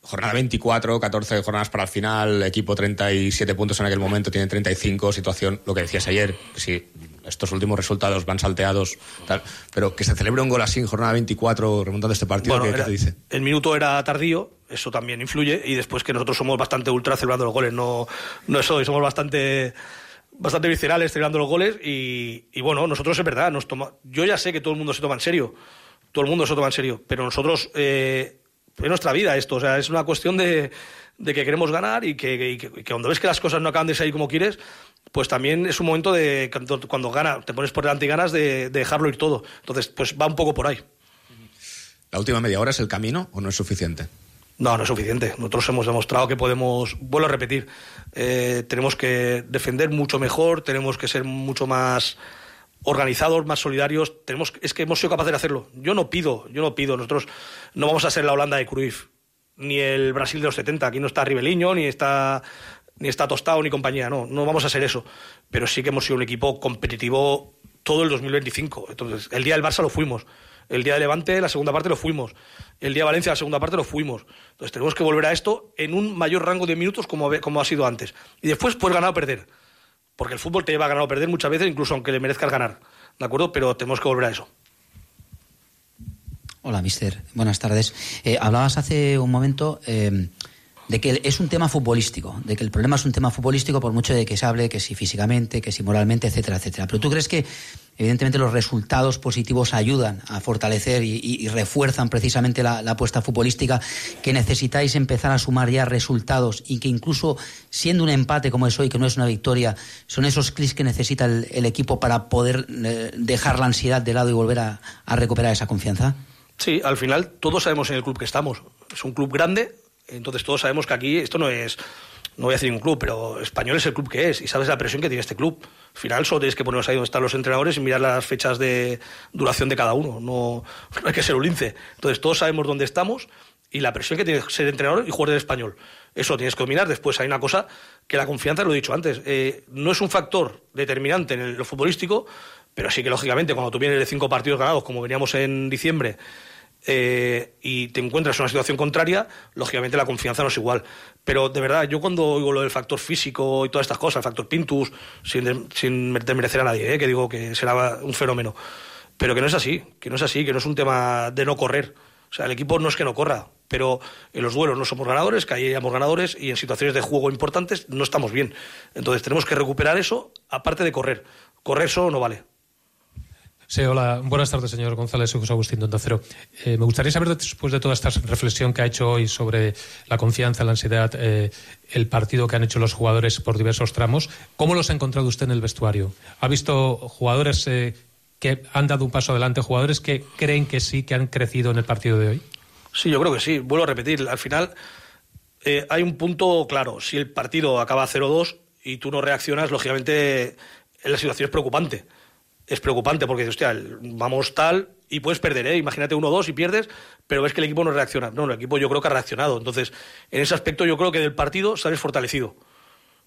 jornada veinticuatro, catorce jornadas para el final, equipo treinta y siete puntos en aquel momento, tiene treinta y cinco, situación, lo que decías ayer, que si estos últimos resultados van salteados, tal, pero que se celebre un gol así en jornada veinticuatro, remontando este partido, bueno, ¿qué, era, ¿qué te dice? El minuto era tardío, eso también influye, y después que nosotros somos bastante ultra celebrando los goles, no, no eso, y somos bastante... bastante viscerales celebrando los goles y, y bueno, nosotros es verdad, nos toma, yo ya sé que todo el mundo se toma en serio, todo el mundo se toma en serio, pero nosotros, eh, es nuestra vida esto, o sea, es una cuestión de, de que queremos ganar y que, y que, y que cuando ves que las cosas no acaban de salir como quieres, pues también es un momento de, cuando, cuando gana, te pones por delante y ganas de, de dejarlo ir todo, entonces pues va un poco por ahí. ¿La última media hora es el camino o no es suficiente? No, no es suficiente. Nosotros hemos demostrado que podemos, vuelvo a repetir, eh, tenemos que defender mucho mejor, tenemos que ser mucho más organizados, más solidarios. Tenemos, es que hemos sido capaces de hacerlo. Yo no pido, yo no pido. Nosotros no vamos a ser la Holanda de Cruyff, ni el Brasil de los setenta. Aquí no está Ribeliño, ni está, ni está Tostao, ni compañía. No, no vamos a ser eso. Pero sí que hemos sido un equipo competitivo todo el dos mil veinticinco. Entonces, el día del Barça lo fuimos. El día de Levante, la segunda parte, lo fuimos. El día de Valencia, la segunda parte, lo fuimos. Entonces tenemos que volver a esto en un mayor rango de minutos como, como ha sido antes. Y después puedes ganar o perder. Porque el fútbol te lleva a ganar o perder muchas veces, incluso aunque le merezcas ganar. ¿De acuerdo? Pero tenemos que volver a eso. Hola, mister. Buenas tardes. Eh, hablabas hace un momento eh, de que es un tema futbolístico, de que el problema es un tema futbolístico por mucho de que se hable, que si físicamente, que si moralmente, etcétera, etcétera. Pero ¿tú crees que evidentemente los resultados positivos ayudan a fortalecer y, y, y refuerzan precisamente la, la apuesta futbolística, que necesitáis empezar a sumar ya resultados y que incluso siendo un empate como es hoy, que no es una victoria, son esos clics que necesita el, el equipo para poder eh, dejar la ansiedad de lado y volver a, a recuperar esa confianza? Sí, al final todos sabemos en el club que estamos. Es un club grande, entonces todos sabemos que aquí esto no es... No voy a decir un club, pero Español es el club que es y sabes la presión que tiene este club. Al final solo tienes que ponernos ahí donde están los entrenadores y mirar las fechas de duración de cada uno. No, no hay que ser un lince. Entonces todos sabemos dónde estamos y la presión que tiene ser entrenador y jugar del Español. Eso lo tienes que dominar. Después hay una cosa que la confianza, lo he dicho antes, eh, no es un factor determinante en el, lo futbolístico, pero sí que lógicamente cuando tú vienes de cinco partidos ganados, como veníamos en diciembre, Eh, y te encuentras en una situación contraria, lógicamente la confianza no es igual. Pero de verdad, yo cuando oigo lo del factor físico y todas estas cosas, el factor Pintus, sin, de, sin desmerecer a nadie, ¿eh? Que digo que será un fenómeno, pero que no es así, que no es así, que no es un tema de no correr. O sea, el equipo no es que no corra, pero en los duelos no somos ganadores, que ahí éramos ganadores, y en situaciones de juego importantes no estamos bien. Entonces tenemos que recuperar eso, aparte de correr. Correr solo no vale. Sí, hola. Buenas tardes, señor González. Soy José Agustín de Onda Cero. Eh, me gustaría saber, después de toda esta reflexión que ha hecho hoy sobre la confianza, la ansiedad, eh, el partido que han hecho los jugadores por diversos tramos, ¿cómo los ha encontrado usted en el vestuario? ¿Ha visto jugadores eh, que han dado un paso adelante, jugadores que creen que sí, que han crecido en el partido de hoy? Sí, yo creo que sí. Vuelvo a repetir. Al final eh, hay un punto claro. Si el partido acaba cero dos y tú no reaccionas, lógicamente la situación es preocupante. Es preocupante porque, hostia, vamos tal y puedes perder, ¿eh? Imagínate uno dos y pierdes, pero ves que el equipo no reacciona. No, el equipo yo creo que ha reaccionado. Entonces, en ese aspecto yo creo que del partido sales fortalecido.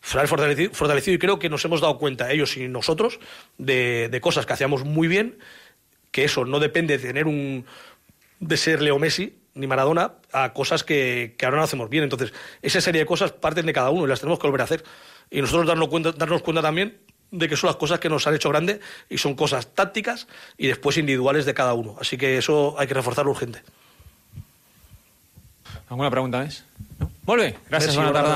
Sales fortalecido, fortalecido y creo que nos hemos dado cuenta, ellos y nosotros, de, de cosas que hacíamos muy bien, que eso no depende de tener un... de ser Leo Messi ni Maradona, a cosas que, que ahora no hacemos bien. Entonces, esa serie de cosas parten de cada uno y las tenemos que volver a hacer. Y nosotros darnos cuenta, darnos cuenta también de que son las cosas que nos han hecho grande y son cosas tácticas y después individuales de cada uno. Así que eso hay que reforzarlo urgente. Alguna pregunta més? No? Molt bé, gràcies, Merci, bona tarda.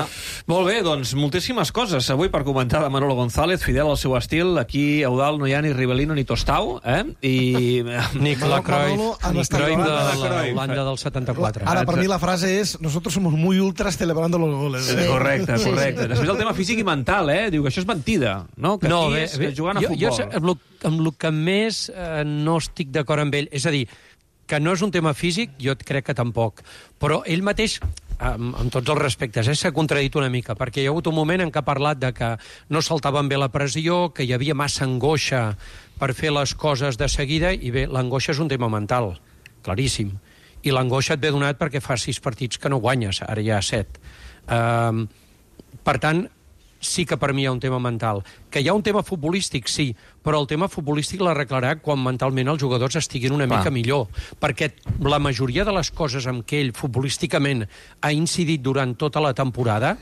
Molt bé, doncs moltíssimes coses avui per comentar de Manolo González, fidel al seu estil. Aquí a Eudald no hi ha ni Rivelino ni Tostau, eh? I... Ni Cruyff, ni Cruyff de l'Holanda del setanta-quatre. Ara, per mi la frase és nosotros somos muy ultras celebrando los goles. Sí, correcte, correcte. Després el tema físic i mental, eh? Diu que això és mentida, no? Que no, aquí bé, és bé, jugant a jo, futbol. Jo amb, lo, amb el que més eh, no estic d'acord amb ell, és a dir, que no és un tema físic, jo crec que tampoc, però ell mateix, amb, amb tots els respectes, eh, s'ha contradit una mica, perquè hi ha hagut un moment en què ha parlat de que no saltaven bé la pressió, que hi havia massa angoixa per fer les coses de seguida, i bé, l'angoixa és un tema mental, claríssim, i l'angoixa et ve donat perquè fa sis partits que no guanyes, ara ja set. Uh, per tant, sí que per mi hi ha un tema mental. Que hi ha un tema futbolístic, sí, però el tema futbolístic l'arreglarà quan mentalment els jugadors estiguin una mica millor. Perquè la majoria de les coses amb què ell futbolísticament ha incidit durant tota la temporada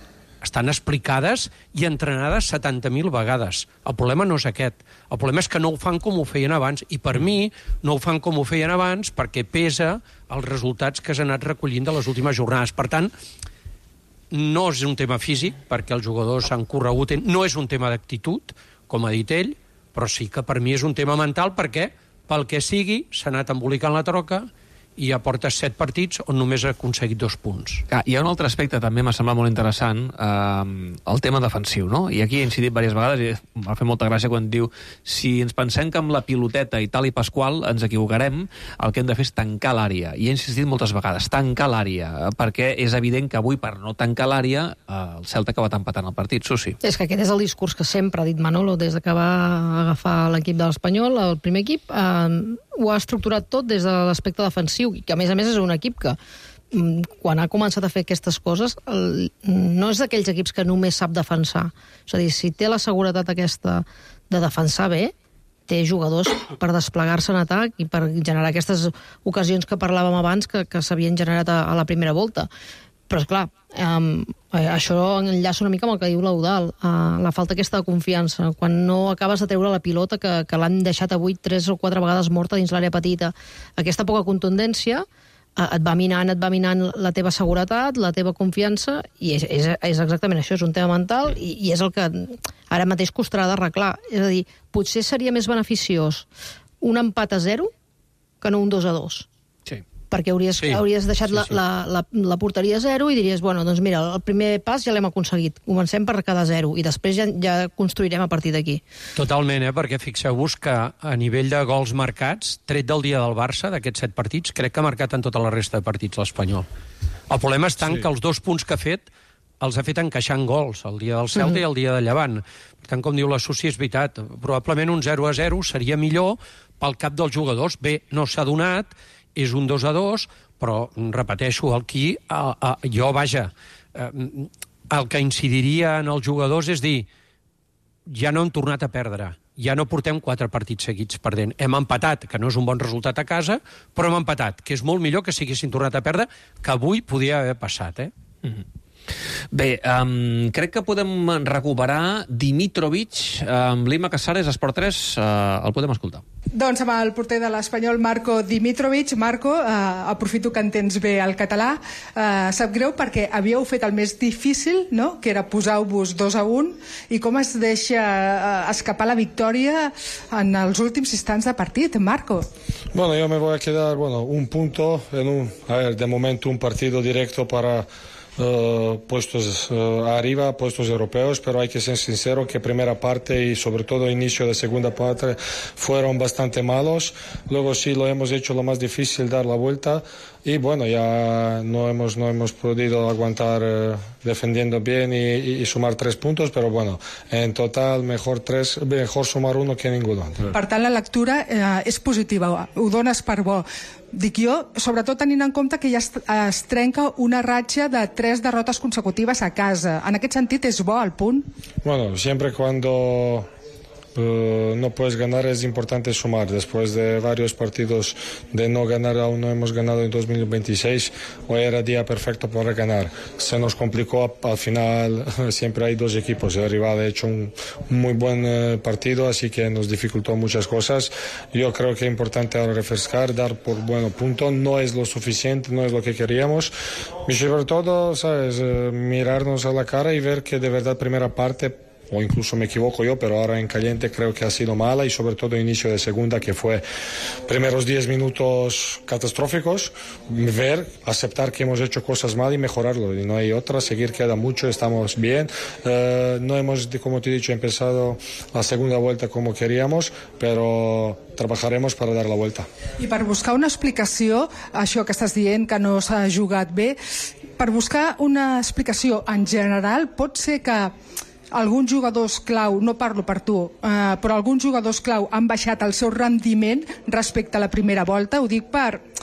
estan explicades i entrenades setanta mil vegades. El problema no és aquest. El problema és que no ho fan com ho feien abans, i per mi no ho fan com ho feien abans perquè pesa els resultats que s'han anat recollint de les últimes jornades. Per tant, no és un tema físic, perquè els jugadors han corregut, no és un tema d'actitud, com ha dit ell, però sí que per mi és un tema mental, perquè pel que sigui s'ha anat embolicant la troca i ja porta set partits on només ha aconseguit dos punts. Ah, hi ha un altre aspecte també m'ha semblat molt interessant, eh, el tema defensiu, no? I aquí he incidit diverses vegades i m'ha fet molta gràcia quan diu si ens pensem que amb la piloteta i tal i pasqual ens equivocarem, el que hem de fer és tancar l'àrea. I he insistit moltes vegades, tancar l'àrea, perquè és evident que avui per no tancar l'àrea eh, el Celta ha acabat empatant el partit, Susi. És que aquest és el discurs que sempre ha dit Manolo des que va agafar l'equip de l'Espanyol, el primer equip, eh, ho ha estructurat tot des de l'aspecte defensiu, i que a més a més és un equip que quan ha començat a fer aquestes coses el, no és d'aquells equips que només sap defensar. És a dir, si té la seguretat aquesta de defensar bé, té jugadors per desplegar-se en atac i per generar aquestes ocasions que parlàvem abans que, que s'havien generat a, a la primera volta. Però, esclar, eh, això enllaça una mica amb el que diu l'Eudald, eh, la falta aquesta de confiança. Quan no acabes de treure la pilota, que, que l'han deixat avui tres o quatre vegades morta dins l'àrea petita, aquesta poca contundència et va minant, et va minant la teva seguretat, la teva confiança, i és, és, és exactament això, és un tema mental, i, i és el que ara mateix costarà d'arreglar. És a dir, potser seria més beneficiós un empat a zero que no un dos a dos. Sí. Perquè hauries, sí. hauries deixat sí, sí. La, la, la, la porteria a zero i diries, bueno, doncs mira, el primer pas ja l'hem aconseguit, comencem per quedar zero, i després ja, ja construirem a partir d'aquí. Totalment, eh? Perquè fixeu-vos que a nivell de gols marcats, tret del dia del Barça, d'aquests set partits, crec que ha marcat en tota la resta de partits l'Espanyol. El problema és tant sí. que els dos punts que ha fet els ha fet encaixant gols, el dia del Celta mm-hmm. i el dia de Llevant. Per tant, com diu la Susi, és veritat. Probablement un zero a zero seria millor pel cap dels jugadors. Bé, no s'ha donat, és un dos a dos, però, repeteixo, aquí, a, a, jo, vaja, eh, el que incidiria en els jugadors és dir, ja no hem tornat a perdre, ja no portem quatre partits seguits perdent. Hem empatat, que no és un bon resultat a casa, però hem empatat, que és molt millor que si haguessin tornat a perdre, que avui podia haver passat, eh? Mm-hmm. Bé, um, crec que podem recuperar Dimitrovic amb Lima Casares, Esport tres, uh, el podem escoltar. Doncs amb el porter de l'Espanyol, Marco Dimitrovic. Marco, eh, aprofito que entens bé el català. Eh, sap greu perquè havíeu fet el més difícil, no?, que era posar-vos dos a un, i com es deixa eh, escapar la victòria en els últims instants de partit, Marco? Bueno, yo me voy a quedar, bueno, un punto en un, a ver, de momento un partido directo para Uh, puestos uh, arriba, puestos europeos, pero hay que ser sincero que primera parte y sobre todo inicio de segunda parte fueron bastante malos. Luego sí lo hemos hecho lo más difícil, dar la vuelta, y bueno, ya no hemos no hemos podido aguantar uh, defendiendo bien y, y, y sumar tres puntos, pero bueno, en total mejor tres, mejor sumar uno que ninguno. Per tant, la lectura eh, és positiva, ho dones per bo. Dic jo, sobretot tenint en compte que ja es, es trenca una ratxa de tres derrotes consecutives a casa. En aquest sentit, és bo el punt? Bueno, siempre cuando uh, no puedes ganar es importante sumar. Después de varios partidos de no ganar, aún no hemos ganado en dos mil veintiséis, hoy era día perfecto para ganar. Se nos complicó al final, siempre hay dos equipos, el rival ha hecho un, un muy buen uh, partido, así que nos dificultó muchas cosas. Yo creo que es importante ahora refrescar, dar por bueno punto, no es lo suficiente, no es lo que queríamos, y sobre todo, sabes, uh, mirarnos a la cara y ver que de verdad primera parte, o incluso me equivoco yo, pero ahora en caliente creo que ha sido mala, y sobre todo inicio de segunda, que fue primeros diez minutos catastróficos, ver, aceptar que hemos hecho cosas mal y mejorarlo, y no hay otra, seguir queda mucho, estamos bien, uh, no hemos, como te he dicho, empezado la segunda vuelta como queríamos, pero treballaremos per dar la vuelta. I per buscar una explicació, això que estàs dient, que no s'ha jugat bé, per buscar una explicació en general, pot ser que alguns jugadors clau, no parlo per tu, eh, però alguns jugadors clau han baixat el seu rendiment respecte a la primera volta? Ho dic per...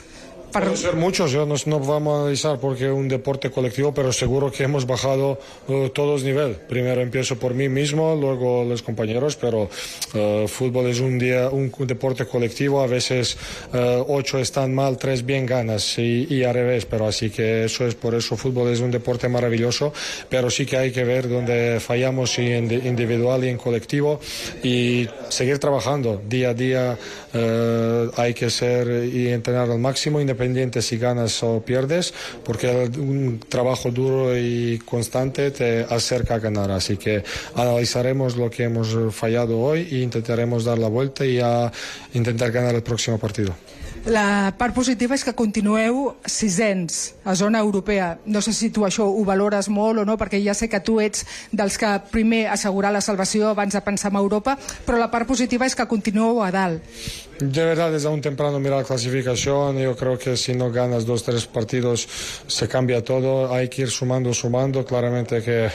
Para... Pueden ser muchos, yo no, no vamos a analizar porque es un deporte colectivo, pero seguro que hemos bajado uh, todos nivel. Primero empiezo por mí mismo, luego los compañeros, pero uh, fútbol es un día un deporte colectivo, a veces uh, ocho están mal, tres bien ganas y, y al revés, pero así que eso es por eso fútbol es un deporte maravilloso, pero sí que hay que ver dónde fallamos y en individual y en colectivo y seguir trabajando día a día. Uh, hay que ser y entrenar al máximo, independientemente si ganas o pierdes, porque un trabajo duro y constante te acerca a ganar. Así que analizaremos lo que hemos fallado hoy e intentaremos dar la vuelta y a intentar ganar el próximo partido. La part positiva és que continueu sisens a zona europea. No sé si tu això ho valores molt o no, perquè ja sé que tu ets dels que primer assegurar la salvació abans de pensar en Europa, però la part positiva és que continueu a dalt. De verdad es aún temprano mirar clasificación. Yo creo que si no ganas dos tres partidos se cambia todo. Hay que ir sumando, sumando. Claramente que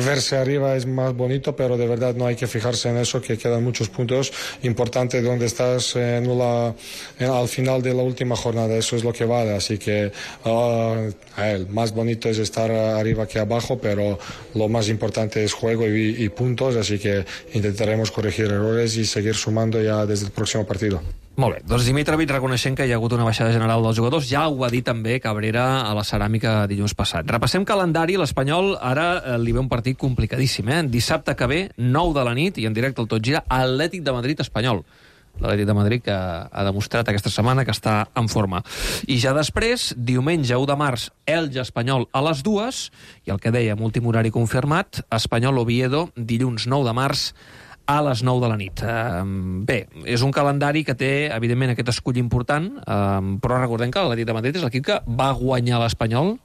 verse arriba es más bonito, pero de verdad no hay que fijarse en eso, que quedan muchos puntos importantes donde estás en la, en, al final de la última jornada. Eso es lo que vale. Así que uh, el más bonito es estar arriba que abajo, pero lo más importante es juego y, y puntos. Así que intentaremos corregir errores y seguir sumando ya desde el próximo partido. Molt bé, doncs Dimitrovic reconeixent que hi ha hagut una baixada general dels jugadors, ja ho ha dit també Cabrera a la Ceràmica dilluns passat. Repassem calendari, l'Espanyol ara eh, li ve un partit complicadíssim, eh? Dissabte que ve, nou de la nit, i en directe al Tot Gira, Atlètic de Madrid-Espanyol. l'Atlètic de Madrid, que ha demostrat aquesta setmana que està en forma. I ja després, diumenge u de març, Elge Espanyol a les dues, i el que dèiem, últim horari confirmat, Espanyol-Oviedo, dilluns nou de març, a les nou de la nit. Uh, bé, és un calendari que té, evidentment, aquest escull important, uh, però recordem que l'Atlètic de Madrid és l'equip que va guanyar l'Espanyol.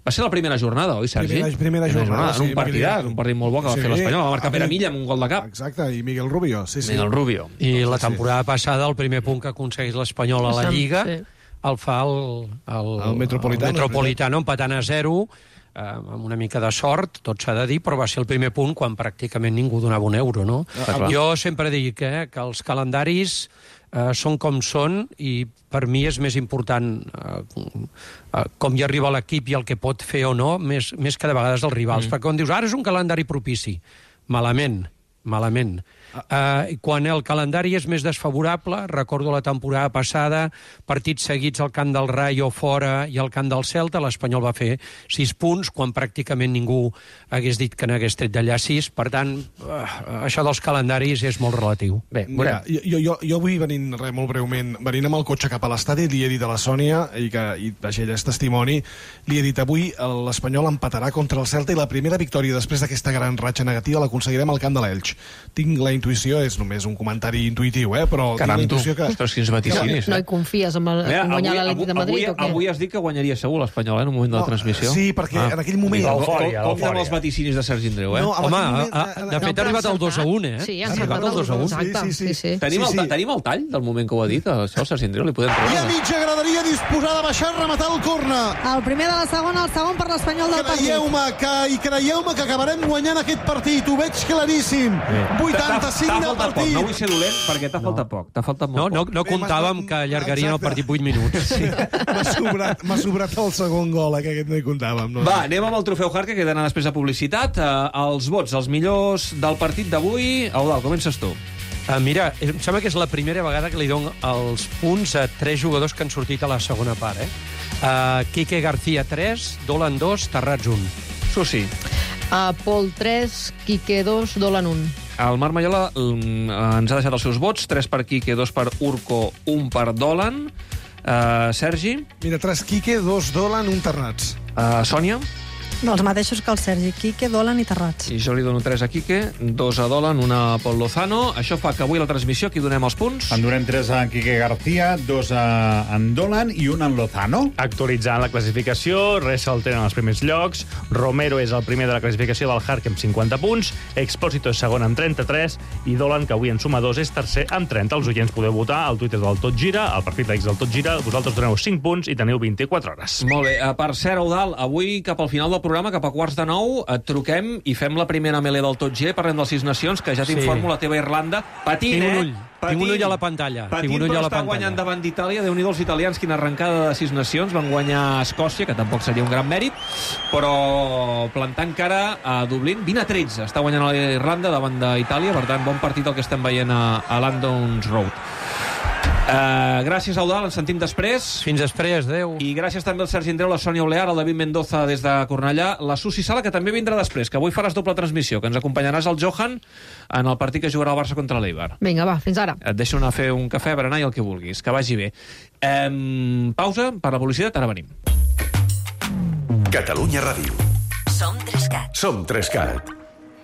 Va ser la primera jornada, oi, Sergi? Primera, primera jornada, sí. En un partidat, un partit molt bo que va Sí. fer l'Espanyol. Va marcar Pere Milla amb un gol de cap. Exacte, i Miguel Rubio, sí, sí. Miguel Rubio. I la temporada passada, el primer punt que aconsegueix l'Espanyol a la Lliga, Sí. el fa el, el, El Metropolitano. el Metropolitano empatant a zero, eh, amb una mica de sort, tot s'ha de dir, però va ser el primer punt quan pràcticament ningú donava un euro, no? Ah, Jo sempre dic eh, que els calendaris eh, són com són i per mi és més important eh, eh, com hi arriba l'equip i el que pot fer o no, més, més que de vegades els rivals. Mm. Perquè quan dius, ara és un calendari propici, malament, malament. Uh, quan el calendari és més desfavorable, recordo la temporada passada, partits seguits al camp del Rayo fora i al camp del Celta, l'Espanyol va fer sis punts, quan pràcticament ningú hagués dit que n'hagués tret d'allà sis. Per tant, uh, això dels calendaris és molt relatiu. Bé, Mira, jo, jo, jo avui venint, res, molt breument, venint amb el cotxe cap a l'estadi, li he dit a la Sònia, i que i, vaja, ella és testimoni, li he dit avui l'Espanyol empatarà contra el Celta i la primera victòria després d'aquesta gran ratxa negativa l'aconseguirem al camp de l'Elx. Tinc la intuïció, és només un comentari intuïtiu, eh? Però Caram, tinc la intuïció que... Ostres, quins vaticinis, No eh? hi confies en, el, en guanyar l'Atlètic de Madrid avui, o què? avui has dit que guanyaria segur l'Espanyol, eh, en un moment de la No, transmissió. sí, perquè en aquell moment- Com, L'eufòria, com, com amb els vaticinis de Sergi Andreu, eh? No, en Home, aquell moment- a, a, de fet ha arribat al dos a un, eh? Sí, ha han arribat al arribat dos a un. Exacte, Sí, sí, sí. sí, sí. Tenim, Sí, el, sí. tenim el tall del moment que ho ha dit, això, Sergi Andreu, li podem I a treure. mitja graderia disposada a baixar a rematar el corna. El primer de la segona, el segon per l'Espanyol del partit. Creieu-me que, i creieu-me que acabarem guanyant aquest partit, ho veig claríssim. vuitanta-cinc T'ha de faltat poc, partit. no vull ser dolent, perquè t'ha faltat poc, t'ha faltat No, molt no, poc. no comptàvem que allargarien el partit vuit minuts. Sí, m'ha sobrat, m'ha sobrat el segon gol, eh, que aquest no hi comptàvem. No? Va, anem amb el trofeu Hart, que queda anar després de publicitat. Uh, els vots, els millors del partit d'avui. Eudal, comences tu. Uh, mira, em sembla que és la primera vegada que li dono els punts a tres jugadors que han sortit a la segona part. Eh? Uh, Quique García, tres, Dolan, dos, Terrats, un. Susi. Uh, Pol, tres, Quique, dos, Dolan, un. El Marc Maiola mm, ens ha deixat els seus vots, tres per Quique, dos per Urco, un per Dolan. Uh, Sergi. Mira, tres Quique, dos Dolan, un Terrats. Uh, Sònia. Dels mateixos que el Sergi, Quique, Dolan i Terrats. I jo li dono tres a Quique, dos a Dolan, una a Pol Lozano. Això fa que avui a la transmissió aquí donem els punts. En donem tres a Quique García, dos a en Dolan i un en Lozano. Actualitzant la classificació, Ressel tenen els primers llocs, Romero és el primer de la classificació del Hark amb cinquanta punts, Expósito és segon amb trenta-tres i Dolan, que avui en suma dos, és tercer amb trenta. Els oients podeu votar al Twitter del Tot Gira, al perfil d'X del Tot Gira. Vosaltres doneu cinc punts i teniu vint-i-quatre hores. Molt bé. Uh, per cert, Eudal, avui cap al final del programa, cap a quarts de nou, et truquem i fem la primera melé del Tot G, parlem dels Sis Nacions, que ja t'informo Sí. la teva Irlanda. Patint, Tinc un eh? ull. Tinc un ull a la pantalla. Patint, Tinc un ull però a la està pantalla. guanyant davant d'Itàlia. Déu-n'hi-do els italians, quina arrencada de Sis Nacions. Van guanyar a Escòcia, que tampoc seria un gran mèrit, però plantant cara a Dublín. vint a tretze està guanyant a Irlanda davant d'Itàlia. Per tant, bon partit el que estem veient a, a Landon's Road. Uh, gràcies, Eudal, ens sentim després. Fins després, adeu. I gràcies també al Sergi Andreu, la Sònia Olear, el David Mendoza des de Cornellà, la Susi Sala, que també vindrà després, que avui faràs doble transmissió, que ens acompanyaràs al Johan en el partit que jugarà el Barça contra l'Eibar. Vinga, va, fins ara. Et deixo anar a fer un cafè, berenar i el que vulguis. Que vagi bé. Um, pausa per la publicitat, ara venim. Catalunya Ràdio. Som Trescat. Som Trescat.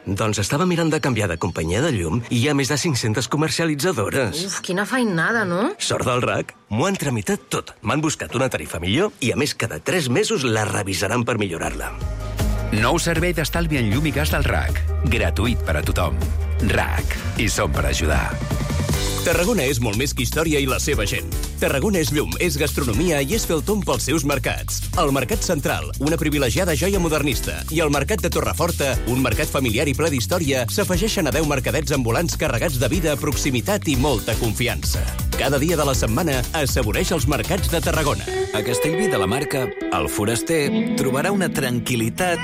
Doncs estava mirant de canviar de companyia de llum i hi ha més de cinc-centes comercialitzadores. Uf, quina feinada, no? Sort del R A C, m'ho han tramitat tot. M'han buscat una tarifa millor i, a més, cada tres mesos la revisaran per millorar-la. Nou servei d'estalvi en llum i gas del R A C. Gratuït per a tothom. R A C. I som per ajudar. Tarragona és molt més que història i la seva gent. Tarragona és llum, és gastronomia i és fer el tomb pels seus mercats. El Mercat Central, una privilegiada joia modernista, i el Mercat de Torreforta, un mercat familiar i ple d'història, s'afegeixen a deu mercadets ambulants carregats de vida, proximitat i molta confiança. Cada dia de la setmana assaboreix els mercats de Tarragona. A Castellví de la Marca, el foraster trobarà una tranquil·litat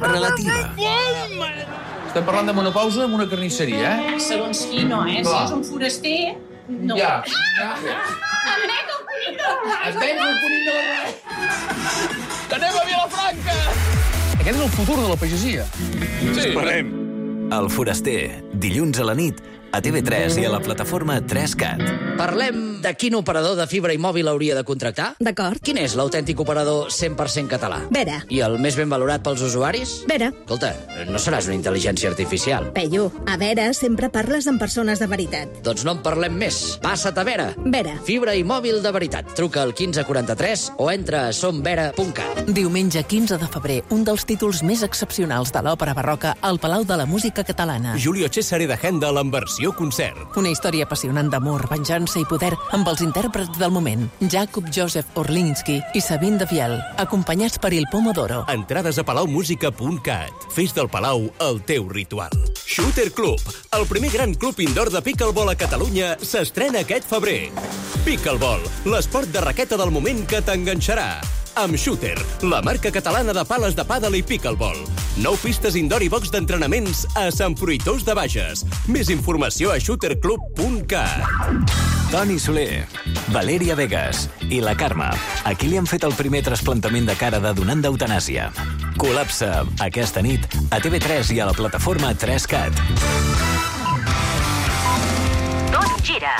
relativa. Estem parlant de monopausa amb una carnisseria, eh? Segons qui no, eh? Si és un foraster, no. Ja, ja. Em veig el conill de la Es veig el conill de la Ràdio. Que anem a Vilafranca! Aquest és el futur de la pagesia. Sí. Esperem. El foraster, dilluns a la nit, a T V tres i a la plataforma tres cat. Parlem de quin operador de fibra i mòbil hauria de contractar? D'acord. Quin és l'autèntic operador cent per cent català? Vera. I el més ben valorat pels usuaris? Vera. Escolta, no seràs una intel·ligència artificial. Peyu, a Vera sempre parles amb persones de veritat. Doncs no en parlem més. Passa't a Vera. Vera. Fibra i mòbil de veritat. Truca al quinze quaranta-tres o entra a somvera punt cat. Diumenge quinze de febrer, un dels títols més excepcionals de l'òpera barroca al Palau de la Música Catalana. Julio Cesare de Händel en versió concert. Una història apassionant d'amor, venjança i poder amb els intèrprets del moment, Jakub Josef Orlinski i Sabine de Viel, acompanyats per Il Pomodoro. Entrades a palaumusica punt cat. Fes del Palau el teu ritual. Shooter Club, el primer gran club indoor de pickleball a Catalunya, s'estrena aquest febrer. Pickleball, l'esport de raqueta del moment que t'enganxarà. Amb Shooter, la marca catalana de pales de pàdel i pickleball. Nou pistes indoor i box d'entrenaments a Sant Fruitós de Bages. Més informació a shooter club punt cat. Toni Soler, Valeria Vegas i la Carme. Aquí li han fet el primer trasplantament de cara de donant d'eutanàsia. Col·lapsa aquesta nit a T V tres i a la plataforma tres cat. Tot gira.